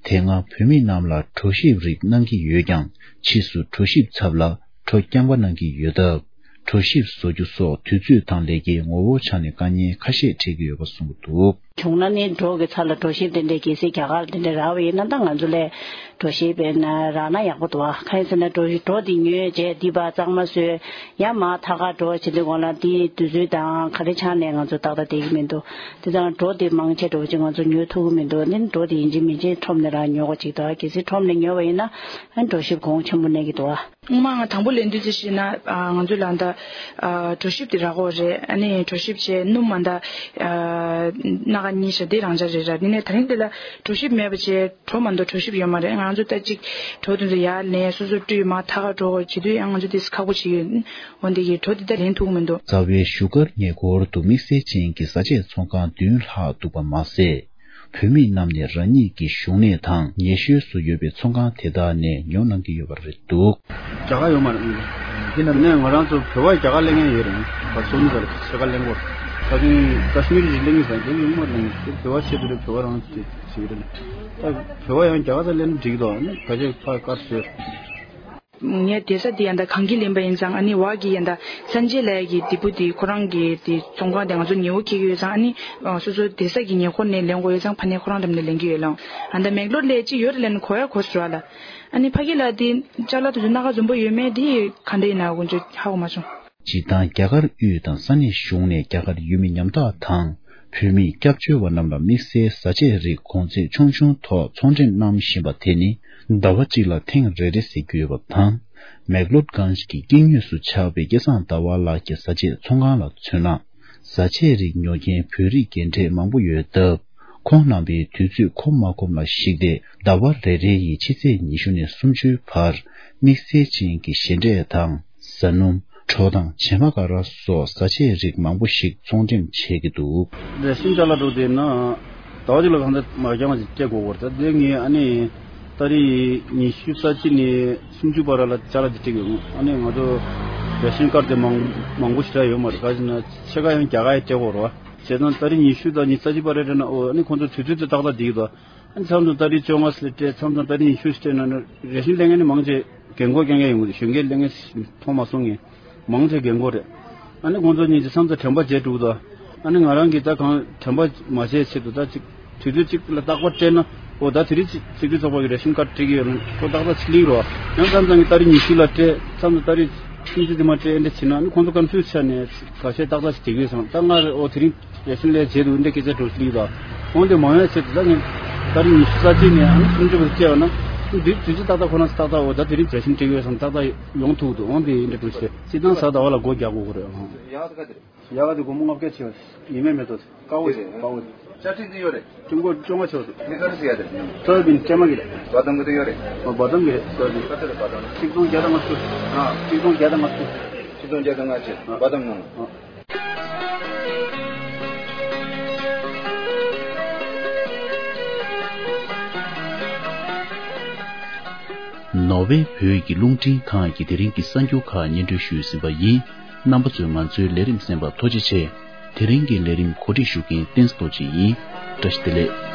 དེ་སྔ་བོད་མི་རྣམས་ལ་གྲོ་ཞིབ་རིགས་གནང་གི་ཡོད་ཀྱང་ཕྱིས་སུ་གྲོ་ཞིབ་ཚབ་ལ་གྲོ་རྐྱང་པ་གནང་གི་ཡོད་སྟབས། གྲོ་ཞིབ་བཟོ་རྒྱུ་སོགས་དུས་ཚོད་དང་ལས་ཀའི་ངོ་བོའི་ཆ་ནས་དཀའ་ངལ་ཁ་ཤས་འཕྲད་ཀྱི་ཡོད་པ་གསུངས་འདུག། བྱུང་ན་ནི་གྲོ་གི་ཚབ་ལ་གྲོ་ཞིབ་དེ་འདྲའི་གལ་སྲིད་རྒྱ་གར་དེ་འདྲའི་རག་པ་ཡིན་ན་ད་ང་ཚོ་ལས་གྲོ་ཞིབ་བྱས་ན་རག་ན་ཡག་པོ་འདུག་ཨ། གང་ཡིན་ཟེར་ན་གྲོ་གྲོ་དེ་ཉོས་རྗེས་འདི་པ་གཙང་མ་བཟོས་ཡང་མར་ཐག་ཁར་འགྲོ་བྱེད་དུས་སྒང་ལ་དེའི་དུས་ཚོད་དང་ག་རེ་ཆགས་ནས་ང་ཚོ་ཏག་ཏག་བསྡད་ཀྱི་མི་འདུག། དེ་ཙང་གྲོ་དེ་མང་ཆེ་འགྲོ་བྱེད་ང་ཚོ་ཉོ་ཐུབ་ཀྱི་མི་འདུག། འདི་ནི་གྲོ་དེ་ཡིན་གཅིག་མིན་གཅིག་ཁྲོམ་ནས་རག་ཉོ་དགོས་ཅིག་འདུག་ཨ། གལ་སྲིད་ཁྲོམ་ནས་ཉོས་པ་ཡིན་ན་ཨ་གྲོ་ཞིབ་གོང་ཆེན་པོ་གནས་ཀྱི་འདུག་ཨ། སྔོན་མ་ང་དང་པོ་ལེན་དུས་ཙམ་ཞིག་ན་ཨ་ང་ཚོ་ལ་ད་ཨ་གྲོ་ཞིབ་དེ་རག་གི་རེད། ཨ་ནི་གྲོ་ཞིབ་བྱས་སྣུམ་མ་ད་ཨ་སྣ་ཁ་གཉིས་ཤ་དེ་རང་འཇགས་རེད་ར། དེ་ནས་ད་རིང་དེ་ལ་གྲོ་ཞིབ་མེད་པ་བྱས་གྲོ་མ་གཏོགས་གྲོ་ཞིབ་ཡོད་མ་རེད། ང་ཚོ་ད་ཅིག་གྲོ་དེ་ཚོ་ཡར་ལེན་སོ་སོ་བཀྲུས་མ་ཐག་ག་འགྲོ་དགོས་བྱེད་དུས་ཡང་ང་ཚོ་དེ་ཁག་པོ་བྱེད་ཡོད། འོན་ཏེ་གི་གྲོ་དེ་ད་ལེན་ཐུབ་ཀྱི་མི་འདུག། རྩ་བའི་བཞུགས་སྒར་ཉེ་འཁོར་དུ་དམིགས་བསལ་ཅན་གྱི་བཟའ་ཆས་ཚོང་ཁང་བདུན་ལྷག་འདུག་པ་མ་ཟད། བོད་མི་རྣམས་ནས་རང་ཉིད་ཀྱི་བཞུགས་གནས་དང་ཉེ་ཤོས་སུ་ཡོད་པའི་ཚོང་ཁང་དེ་དག་ནས་ཉོ་གནང་གི་ཡོད་པ་རེད་འདུག། རྒྱ་གར་ཡོད་མ་རེད། དེ་ནས་ང་རང་ཚོ་བོད་པ་རྒྱ་གར་སླེབས་མཁན་ཡོད་རེད། བ་སོ་ནི་ཟེར་ཕྱེད་ཀ་སླེབས་ཀྱི་ཡོད་རེད། ད་དུང་ཀ་ཤི་མིར་གྱི་སླེབས་མཁན་ཟེར་དེ་ཡོད་མ་རེད། བོད་པ་ཆེད་དུ་རེད། བོད་པ་རང་ཚོ་དེ་ཞིག་རེད། ད་བོད་པ་ཡང་རྒྱ་གར་ཚ་སླེབས་ན་འགྲིག་གི་འདུག། ནི་ཕལ་ཆེར་ཕར་དཀར་བཟོས། ངའི་བསྡད་ས་དེ་ཡང་ད་གངས་སྐྱིད་ལེན་པ་ཡིན་ཙང་ཨ་ནི་བ་གི་ཡང་ད་སན་ཇེ་ལབ་ཡ་གི་དེ་བུ་དེ་ཁོ་རང་གི་དེ་ཚོང་ཁང་དེ་ང་ཚོ་ཉེ་བོ་འཁེལ་གི་ཡོད་ཙང་ཨ་ནི་སོ་སོ་བསྡད་ས་གི་ཉེ་འཁོར་ནས་ལེན་དགོས་ཡོད་ཙང་ཕ་ནས་ཁོ་རང་འགྲམ་ནས་ལེན་གི་ཡོད་ལང་། ཨ་ད་མེག་ལོར་ལས་ཅི་ཡོད་རེད་ལབ་ན་གོ་ཡ་གོ་སོང་ར་ལ། ཨ་ནི་ཕ་གི་ལ་དེ་ཅ་ལག་དེ་ཚོ་སྣ་ཁ་འཛོམས་པོ་ཡོད་མེད་དེ་ག་འདྲ་ཡིན་ན་ཀུན་སྤྱོད་ཧ་གོ་མ་སོང་། སྤྱིར་བཏང་རྒྱ་གར་དབུས་དང་ས་གནས་གཞུང་ནས་རྒྱ་གར་ཡུལ་མི་ཉམ་ཐག་དང་བོད་མི་སྐྱབས་བཅོལ་བ་རྣམས་ལ་དམིགས་བསལ་བཟའ་ཆས་རིགས་གོང་ཚད་ཆུང་ཆུང་ཐོག་ཚོང་འགྲེམས་གནང་བཞིན་པ་དེ་ནི་ཟླ་བ་གཅིག་ལ་ཐེངས་རེ་རེ་ཟེར་རྒྱུ་ཡོད་པ་དང་། མེག་ལོར་གྷན་ཇི་གི་དཀྱིལ་ངོས་སུ་ཆགས་པའི་སྐལ་བཟང་ཟླ་བ་ལགས་ཀྱི་བཟའ་ཆས་ཚོང་ཁང་ལ་མཚོན་ན། བཟའ་ཆས་རིགས་ཉོ་མཁན་བོད་རིགས་རྒན་གྲས་མང་པོ་ཡོད་སྟབས། ཁོང་རྣམ་པས་དུས་ཚོད་ཁོམ་མ་ཁོམ་ལ་གཞིགས་ཏེ་ཟླ་བ་རེ་རེ་ཡི་ཕྱི་ཚེས་ཉི་ཤུ་ནས་སུམ་ཅུའི་བར་དམིགས་བསལ་ཅན་གྱི་ཞལ་འབྲས་དང་། ཟ་སྣུམ། གྲོ་དང་བྱེ་མ་ཀ་ར་སོགས་བཟའ་ཆས་རིགས་མང་པོ་ཞིག་ཚོང་འགྲེམས་བྱེད་ཀྱི་འདུག། རེ་ཤིན་ཅ་ལག་འགྲོ་དེ་ན་ཟླ་བ་གཅིག་ལ་གང་ཚ་མ་རྒྱང་མ་ཅིག་སྤྲད་དགོས་པར་ད་དེ་ངས་ཨ་ནི་ཏ་རིག་ཉི་ཤུ་རྩ་གཅིག་ནས་སུམ་ཅུ་བར་ལ་ཅ་ལག་ཅིག་སྤྲད་ཀྱི་ཡོད། ཨ་ནི་ང་ཚོ་རེ་ཤིན་ཀར་དེ་མང་མང་པོ་ཞིག་རག་ཡོད་མ་རེད། ག་ཅི་ན་ཕྱེད་ཀ་ཡང་རྒྱ་གར་ཡི་སྤྲད་དགོས་རེད་བ། བྱས་ཙང་ཏ་རིག་ཉི་ཤུ་དང་ཉི་ཤུ་རྩ་གཅིག་བར་རེད་ན་ཨོ་ཨ་ནི་ཁོང་ཚོ་དུས་ཚོད་དེ་ཏག་ཏག་བསྡད་ཀྱི་འདུག། ཨ་ནི་མཚམས་མཚམས་ཏ་རིག་བཅོ་ལྔ་ཞིག་ལ་སྤྲད། མཚམས་མཚམས་ཏ་རིག་ཉི་ཤུ་ཞིག་སྤྲད་ན་ནི་རེ་ཤིན་ལེན་མཁན་ནི་མང་ཆེ་རྒན་གོག་རྐྱང་རྐྱང་ཡོང་གི་འདུག། གཞོན་སྐྱེས་ལེན་མཁན་མཐོང་མ་སོང་ངས། མང་ཆེ་རྒན་གོག་རེད། ཨ་ནི་ཁོང་ཚོ་གཉིས་ཀྱི་མཚམས་མཚམས་དྲན་པ་བརྗེད་འགྲོ་གི་འདུག། ཨ་ནི་ང་རང་གིས་ད་གང་དྲན་པ་མ་བརྗེད་ཆེད་དུ་ད་ཅིག་དུས་ཚོད་ཅིག་ལ་རྟག་པར་སྤྲད་ན་ཨོ་ད་དེ་རིང་ཅིག་སྲིད་སྐྱོང་ཚོགས་པ་གི་རེ་ཤིན་ཀར་སྤྲད་ཀྱི་ཡོད་ན་ཁོ་ཏག་ཏག་ཅིག་སླེབས་རོགས། ཡང་མཚམས་མཚམས་ཀྱི་ཏ་རིག་ཉི་ཤུ་ལ་སྤྲད། མཚམས་མཚམས་ཏ་རིག་སུམ་ཅུ་དེ་མ་སྤྲད། ཨེ་འདྲ་བྱེད་ན་ཨ་ནི་ཁོང་ཚོ་ཀོན་ཕིའུ་ཛི་ཆགས་ནས་ཁ་ཤས་ཏག་ཏག་ཅིག་བསྡད་ཀྱི་ཡོད་བསམ། ད་ང་རེ་ཨོ་དེ་རིང་རེ་ཤིན་ལས་བྱེད་དུ་འདི་སྐད་ཆ་འགྲོ་སྲིད་ལ། འོན་ཏེ་མ་ཡོང་ཆེད་དུ་ད་ངས་ཏ་རིག་ཉི་ཤུ་རྩ་གཅིག་ནས་ཨ་ནི་སུམ་ཅུ་བར་བཅད་པ་ན་ འདི་དུས་ཚོད་ཏག་ཏག་ཁོ་རང་ཏག་ཏག་འོ་ད་དེ་རིང་བརྒྱ་ཤིང་སྤྲད་ཡོད་བསམ་ཏག་ཏག་ཡོང་ཐུབ་འདུག་འོང་དེ་ཡིན་འདྲ་འགྲོ་ཤེས་སྲིད་ཏང་ས་ད་བ་ལ་སྒོ་རྒྱག་དགོས་ཀྱི་རེད། ཡག་ག་དེ་རེད། ཡག་ག་དེ་སྒོར་མོ་ལྔ་བརྒྱ་ཆེ་བ་ཡིན་མེད་མེད་དོ། དཀའ་བོ་རེད་དཀའ་བོ་རེད། ཅ་ཅིག་འདི་ཡོད་རེད། ཀྲུང་གོ་བཅོ་ལྔ་ཆོག་འདུག་མི་ཁར་སི་ཡ་དེ། སོ་ཡ་བིན་ཅ་མ་གི་རེད། བ་དམ་གི་དེ་ཡོད་རེད། བ་དམ་གི་རེད་སོ་ཡ་བིན། ཁ་ཚ་རེད་བ་དམ། ཆིག་སྟོང་བརྒྱ་དང་ལྔ་བཅུ། ཨ། ཆིག་སྟོང་བརྒྱ་དང་ལྔ་བཅུ། ཆིག་སྟོང་བརྒྱ་དང་ལྔ་བཅུ་བ་དམ་ནང་། ཨ། ནོར་ཝེ་བོད་ཀྱི་རླུང་འཕྲིན་ཁང་གི་དེ་རིང་གི་གསར་འགྱུར་ཁག་སྙན་སྒྲོན་ཞུས་ཟིན་པ་ཡིན། རྣམ་པ་ཚོས་ང་ཚོའི་ལས་རིམ་གསན་པར་ཐུགས་རྗེ་ཆེ། དེ་རིང་གི་ལས་རིམ་གོ་སྒྲིག་ཞུ་མཁན་བསྟན་འཛིན་རྡོ་རྗེ་ཡིན། བཀྲ་ཤིས་བདེ་ལེགས།